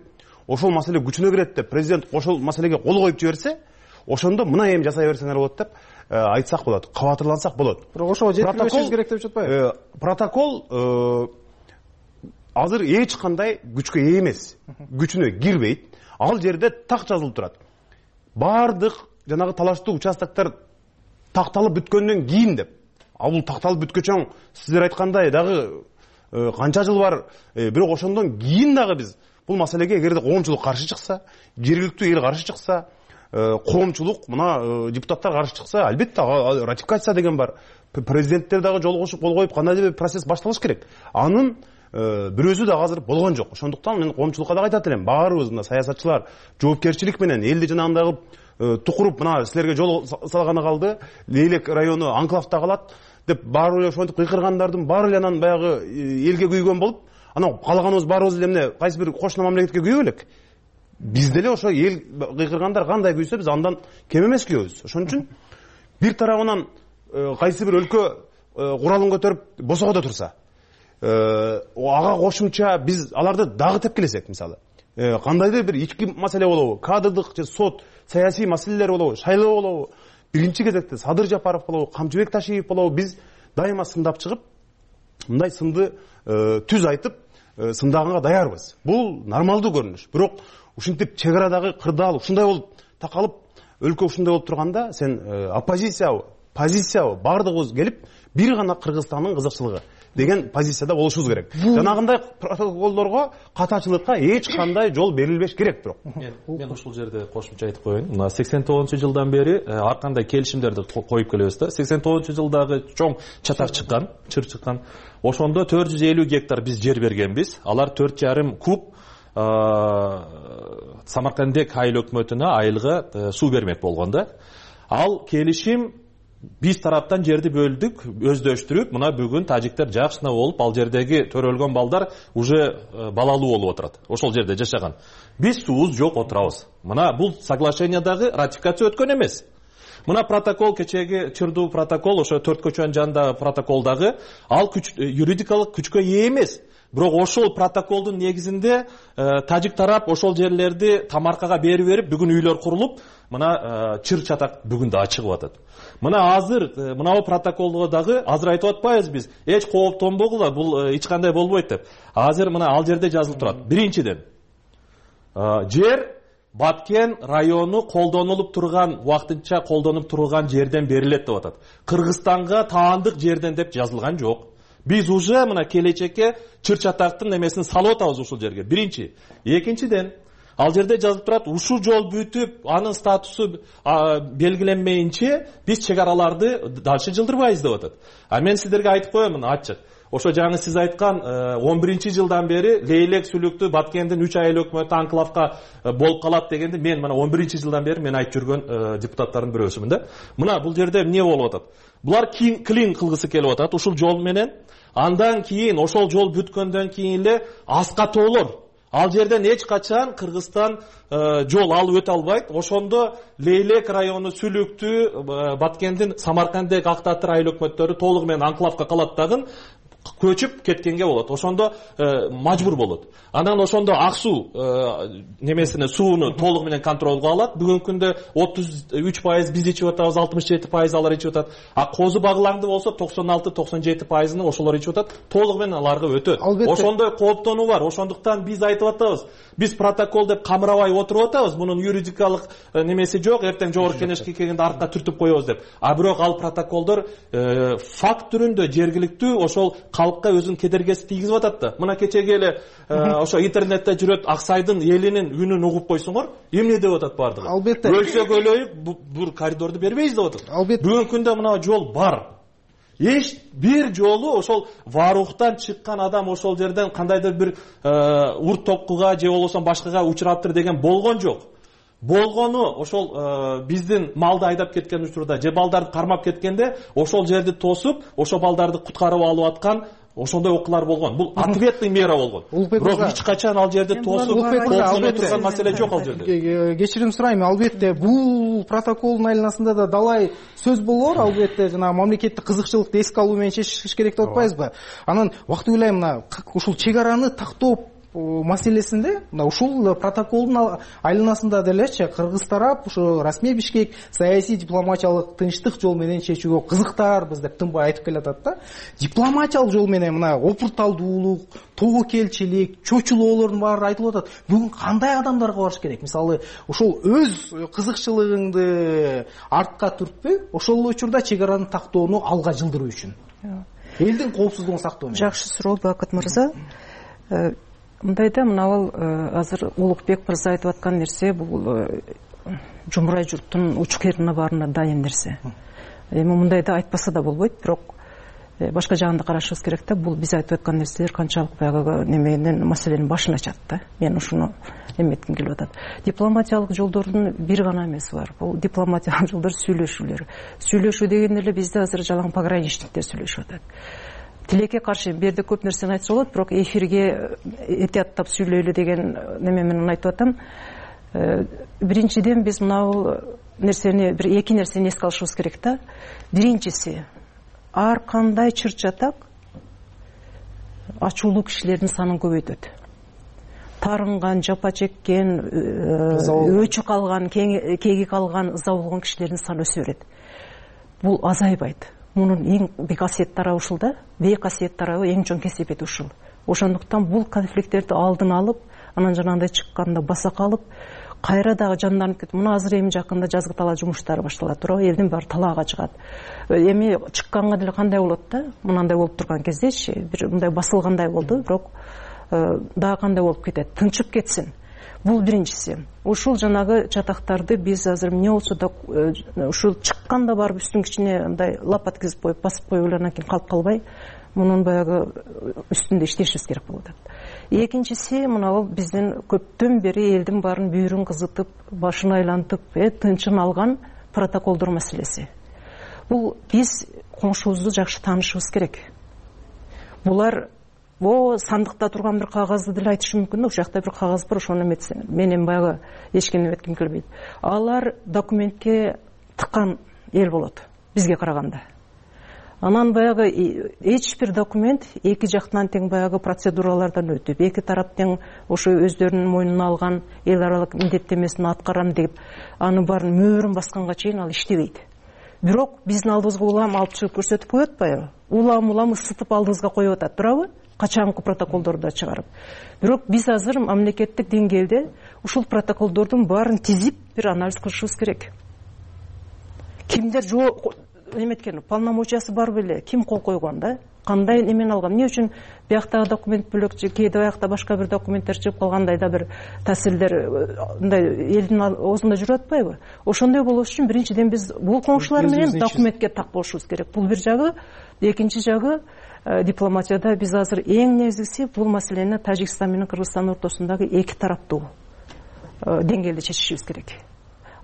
ошол маселе күчүнө кирет деп, президент ошол маселеге кол коюп жиберсе, ошондо мына эми жасай берсеңер болот деп айтсак болот, кабатырлансак болот. Бирок ошого жеткирбешибиз керек деп жатпайбы? Протокол азыр эч кандай күчкө ээ эмес, күчүнө кирбейт. Ал жерде так жазылып турат. Бардык жанагы талаштуу участоктор такталып бүткөндөн кийин деп. А бул такталып бүткөчөң сиздер айткандай дагы канча жыл бар, бирок ошондон кийин дагы биз бул маселеге эгерде коомчулук каршы чыкса, жергиликтүү эл каршы чыкса, коомчулук мына депутаттар каршы чыкса, албетте ратификация деген бар. Президенттер дагы жол кошуп кол коюп кандайдыр бир процесс башталыш керек. Анын бирөөсү дагы азыр болгон жок. Ошондуктан мен коомчулукка дагы айтат элем, баарыбыз мына саясатчылар жоопкерчилик менен элди жанагындай тукуруп мына силерге жол салганы калды, Лейлек району анклавда калат деп баары эле ошентип кыйкыргандардын баары эле анан баягы элге күйгөн болуп, анан калаганыбыз баарыбыз эле эмне кайсы бир кошуна мамлекетке күйө белек. Биз деле ошо эл кыйкыргандар кандай күйсө биз андан кем эмес күйөбүз. Ошон үчүн бир тарабынан кайсы бир өлкө куралын көтөрүп босогодо турса, ага кошумча биз аларды дагы тепкилесек, мисалы кандайдыр бир ички маселе болобу, кадрдык же сот, саясий маселелер болобу, шайлоо болобу, биринчи кезекте Садыр Жапаров болобу, Камчыбек Ташиев болобу, биз дайыма сындап чыгып, мындай сынды түз айтып, сындаганга даярбыз. Бул нормалдуу көрүнүш. Бирок ушинтип чек арадагы кырдаал ушундай болуп такалып, өлкө ушундай болуп турганда, сен оппозициябы, позициябы бардыгыбыз келип, бир гана Кыргызстандын кызыкчылыгы деген позицияда болушубуз керек. Жанагындай протоколдорго, катачылыкка эч кандай жол берилбеш керек. Бирок мен ушул жерде кошумча айтып коеюн. Мына сексен тогузунчу жылдан бери ар кандай келишимдерди коюп келебиз да. сексен тогузунчу жылдагы чоң чатак чыккан, чыр чыккан. Ошондо төрт жүз элүү гектар биз жер бергенбиз. Алар төрт жарым куб Самаркандек айыл өкмөтүнө айылга суу бермек болгон да. Ал келишим биз тараптан жерди бөлдүк, өздөштүрүп, мына бүгүн тажиктер жакшына болуп, ал жердеги төрөлгөн балдар уже балалуу болуп отурат. Ошол жерде жашаган. Биз суубуз жок отурабыз. Мына бул соглашениядагы ратификация өткөн эмес. Мына протокол, кечеги чырдуу протокол, ошо төрт көчөнүн жанындагы протоколдагы ал күч юридикалык күчкө ээ эмес. Бирок ошол протоколдун негизинде тажик тарап ошол жерлерди тамаркага берип берип, бүгүн үйлөр курулуп, мына чыр чатак бүгүн да чыгып атат. Мына азыр мына протоколго дагы азыр айтып атпайбыз биз, эч кооптонбогула, бул эч кандай болбойт деп. Азыр мына ал жерде жазылып турат. Биринчиден, жер Баткен району колдонулуп турган, вактынча колдонуп турган жерден берилет деп атат. Кыргызстанга таандык жерден деп жазылган жок. Биз уже мына келечекке чыр чатактын эмесин салып атабыз ушул жерге. Биринчи. Экинчиден, ал жерде жазылып турат, ушул жол бүтүп, анын статусу белгиленмейинче биз чек араларды дальше жылдырбайбыз деп атат. А мен сиздерге айтып коем, ачык. Ошо жаңы сиз айткан он биринчи жылдан бери Лейлек сүлүктүү Баткендин үч айыл өкмөтү анклавка болуп калат дегенди мен мына он биринчи жылдан бери мен айтып жүргөн депутаттардын бирөөсүмүн да. Мына бул жерде эмне болуп атат? Булар клин кылгысы келип атат ушул жол менен. Андан кийин ошол жол бүткөндөн кийин эле аска тоолор. Ал жерден эч качан Кыргызстан жол алып өтө албайт. Ошондо Лейлек району сүлүктүү Баткендин Самаркандек Актатыр айыл өкмөттөрү толугу менен анклавка калат дагы. көчүп кеткенге болот, ошондо мажбур болот. Анан ошондо ак суу немесине сууну толугу менен контролго алат. Бүгүнкү күндө отуз үч пайыз биз ичип атабыз, алтымыш жети пайыз алар ичип атат. А козу баглаңды болсо токсон алты токсон жети пайызын ошолор ичип атат. Толугу менен аларга өтөт. Ошондой кооптонуу бар. Ошондуктан биз айтып атабыз, биз протокол деп камырабай отуруп атабыз. Мунун юридикалык немеси жок. Эртең жогорку кеңешке келгенде артка түртүп коебуз деп. А бирок ал протоколдор факт түрүндө жергиликтүү ошол калкка өзүнүн кедергесин тийгизип атат да. Мына кечеги эле ошо интернетте жүрөт, Аксайдын элинин үнүн угуп койсоңор, эмне деп атат бардыгы? Албетте. Өлсөк өлөйүк, бул коридорду бербейбиз деп атат. Бүгүнкү күндө мына жол бар. Эч бир жолу ошол Варухтан чыккан адам ошол жерден кандайдыр бир урт токкуга же болбосо башкага учураптыр деген болгон жок. Болгону ошол биздин малды айдап кеткен учурда же балдарды кармап кеткенде ошол жерди тосуп, ошол балдарды куткарып алып аткан ошондой окуялар болгон. Бул ответный мера болгон. Бирок эч качан ал жерди тосуп кооптоно турган маселе жок ал жерде. Кечирим сурайм, албетте бул протоколдун айланасында да далай сөз болор, албетте жана мамлекеттик кызыкчылыкты эске алуу менен чечиш керек деп атпайбызбы? Анан убакыт ойлойм, мына ушул чек араны тактоо маселесинде мына ушул протоколдун айланасында делечи кыргыз тарап ушу расмий Бишкек саясий дипломатиялык тынчтык жол менен чечүүгө кызыктаарбыз деп тынбай айтып келатат да. Дипломатиялык жол менен мына опурталдуулук, тобокелчилик, чочулоолордун баары айтылып атат. Бүгүн кандай адамдарга барыш керек? Мисалы, ушул өз кызыкчылыгыңды артка түртпөй, ошол учурда чек араны тактоону алга жылдыруу үчүн. Элдин коопсуздугун сактоо менен. Жакшы суроо Бакыт мырза. Мындайда мынабул азыр Улукбек мырза айтып аткан нерсе бул жумурай журттун уч кыйрына баарына дайын нерсе. Эми мындайда айтпаса да болбойт, бирок башка жагында карашыбыз керек да. Бул биз айтып аткан нерселер канчалык баягы неменин маселенин башын ачат да. Мен ушуну эметким келип атат. Дипломатиялык жолдордун бир гана эмеси бар. Бул дипломатиялык жолдор сүйлөшүүлөр. Сүйлөшүү дегенде эле бизде азыр жалаң пограничниктер сүйлөшүп атат. Тилекке каршы бул жерде көп нерсени айтса болот, бирок эфирге этияттап сүйлөйлү деген неме менен айтып атам. Биринчиден биз мына нерсени бир эки нерсени эске алышыбыз керек да. Биринчиси, ар кандай чыр чатак ачуулуу кишилердин санын көбөйтөт. Тарынган, жапа чеккен, өчү калган, кеги калган, ыза болгон кишилердин саны өсө берет. Бул азайбайт. Мунун эң бий касиет тарабы ушул да, бий касиет тарабы эң чоң кесепети ушул. Ошондуктан бул конфликттерди алдын алып, анан жанагындай чыкканда баса калып, кайра дагы жанданып кетип, мына азыр эми жакында жазгы талаа жумуштары башталат, туурабы? Элдин баары талаага чыгат. Эми чыкканга деле кандай болот да? Мынандай болуп турган кездечи, бир мындай басылгандай болду, бирок дагы кандай болуп кетет? Тынчып кетсин. Бул биринчиси. Ушул жанагы чатактарды биз азыр эмне болсо да ушул чыкканда барып үстүн кичине мындай лап аткызып коюп, басып коюп эле анан кийин калып калбай, мунун баягы үстүндө иштешибиз керек болуп атат. Экинчиси, мына бул биздин көптөн бери элдин баарын бүйүрүн кызытып, башын айлантып, тынчын алган протоколдор маселеси. Бул биз коңшубузду жакшы таанышыбыз керек. Булар О, сандыкта турган бир кагазды деле айтышы мүмкүн да, ушул жакта бир кагаз бар, ошону эметсен. Мен эми баягы эч кимди эметким келбейт. Алар документке тыккан эл болот, бизге караганда. Анан баягы эч бир документ эки жактан тең баягы процедуралардан өтүп, эки тарап тең ошо өздөрүнүн мойнуна алган эл аралык милдеттемесин аткарам деп, аны баарын мөөрүн басканга чейин ал иштебейт. Бирок биздин алдыбызга улам алып чыгып көрсөтүп коет атпайбы? Улам-улам ысытып алдыбызга коюп атат, туурабы? Качанкы протоколдорду чыгарып. Бирок биз азыр мамлекеттик деңгээлде ушул протоколдордун баарын тизип бир анализ кылышыбыз керек. Кимдер жок эметкен, полномочиясы бар беле, ким кол койгон да? Кандай эмени алган? Эмне үчүн бияктагы документ бөлөк, кээде биякта башка бир документтер чыгып калгандай да бир таасирлер мындай элдин оозунда жүрүп атпайбы? Ошондой болуш үчүн биринчиден биз бул коңшулар менен документке так болушубуз керек. Бул бир жагы, экинчи жагы дипломатияда биз азыр эң негизгиси бул маселени Тажикстан менен Кыргызстан ортосундагы эки тараптуу деңгээлде чечишибиз керек.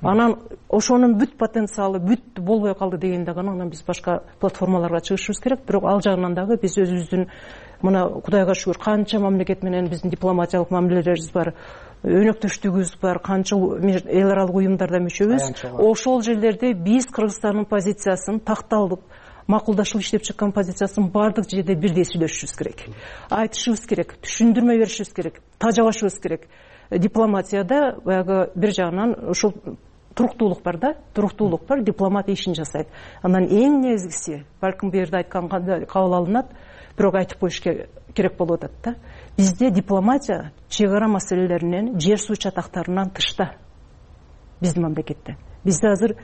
Анан ошонун бүт потенциалы бүт болбой калды дегенде гана анан биз башка платформаларга чыгышыбыз керек. Бирок ал жагынан дагы биз өзүбүздүн мына Кудайга шүгүр канча мамлекет менен биздин дипломатиялык мамилелерибиз бар, өнөктөштүгүбүз бар, канча эл аралык уюмдарда мүчөбүз. Ошол жерлерде биз Кыргызстандын позициясын такталдык макулдашып иштеп чыккан позициясын баардык жерде бирдей сүйлөшүшүбүз керек, айтышыбыз керек, түшүндүрмө беришибиз керек, тажабашыбыз керек. Дипломатияда баягы бир жагынан ушул туруктуулук бар да, туруктуулук бар, дипломат ишин жасайт. Анан эң негизгиси, балким бу жерде айтканда кабыл алынат, бирок айтып коюш керек болуп атат да. Бизде дипломатия чек ара маселелеринен, жер суу чатактарынан тышта. Биздин мамлекетте. Бизде азыр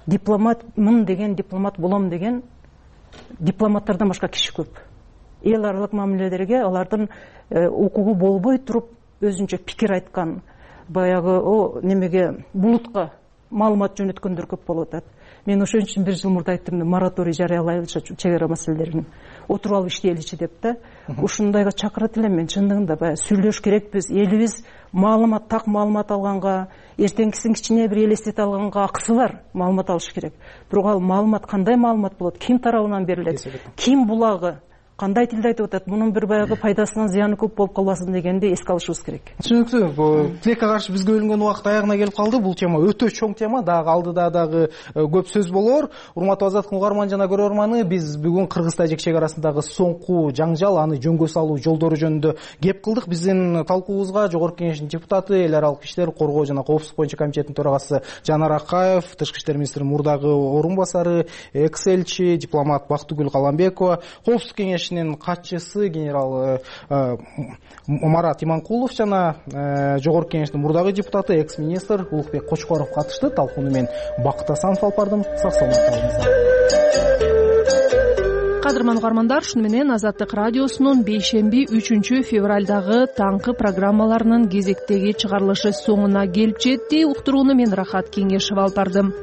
дипломатмын деген, дипломат болом деген дипломаттардан башка киши көп. Эл аралык мамилелерге алардын укугу болбой туруп өзүнчө пикир айткан, баягы о немеге булутка маалымат жөнөткөндөр көп болуп атат. Мен ошон үчүн бир жыл мурда айттым, мораторий жарыялайлычы чек ара маселелерин отуруп алып иштейличи деп да. Ушундайга чакырат элем мен. Чындыгында баягы сүйлөш керекпиз. Элибиз маалымат, так маалымат алганга, эртеңкисин кичине бир элестете алганга акысы бар, маалымат алыш керек. Бирок ал маалымат кандай маалымат болот, ким тарабынан берилет, ким булагы, кандай тилде айтып атат, мунун бир баягы пайдасынан зыяны көп болуп калбасын дегенди эске алышыбыз керек. Түшүнүктүү. Тилекке каршы бизге бөлүнгөн убакыт аягына келип калды. Бул тема өтө чоң тема, дагы алдыда дагы көп сөз болор. Урматтуу Азаттык угарман жана көрөрманы, биз бүгүн Кыргыз-Тажик чек арасындагы соңку жаңжал, аны жөнгө салуу жолдору жөнүндө кеп кылдык. Биздин талкуубузга Жогорку Кеңештин депутаты, эл аралык иштер коргоо жана коопсуздук боюнча комитеттин төрагасы Жанар Акаев, Тышкы иштер министринин мурдагы орун басары, экс элчи, дипломат Бактыгүл Каламбекова, коопсуздук кеңешинин катчысы генерал Марат Иманкулов жана Жогорку Кеңештин мурдагы депутаты, экс министр Улукбек Кочкоров катышты. Талкууну мен Бакыт Асанов алып бардым. Сак саламатта болуңуздар. Кадырман угармандар, шуну менен Азаттык радиосунун бейшемби үчүнчү февралдагы таңкы программаларынын кезектеги чыгарылышы соңуна келип жетти. Уктурууну мен Рахат Кеңешева алып бардым.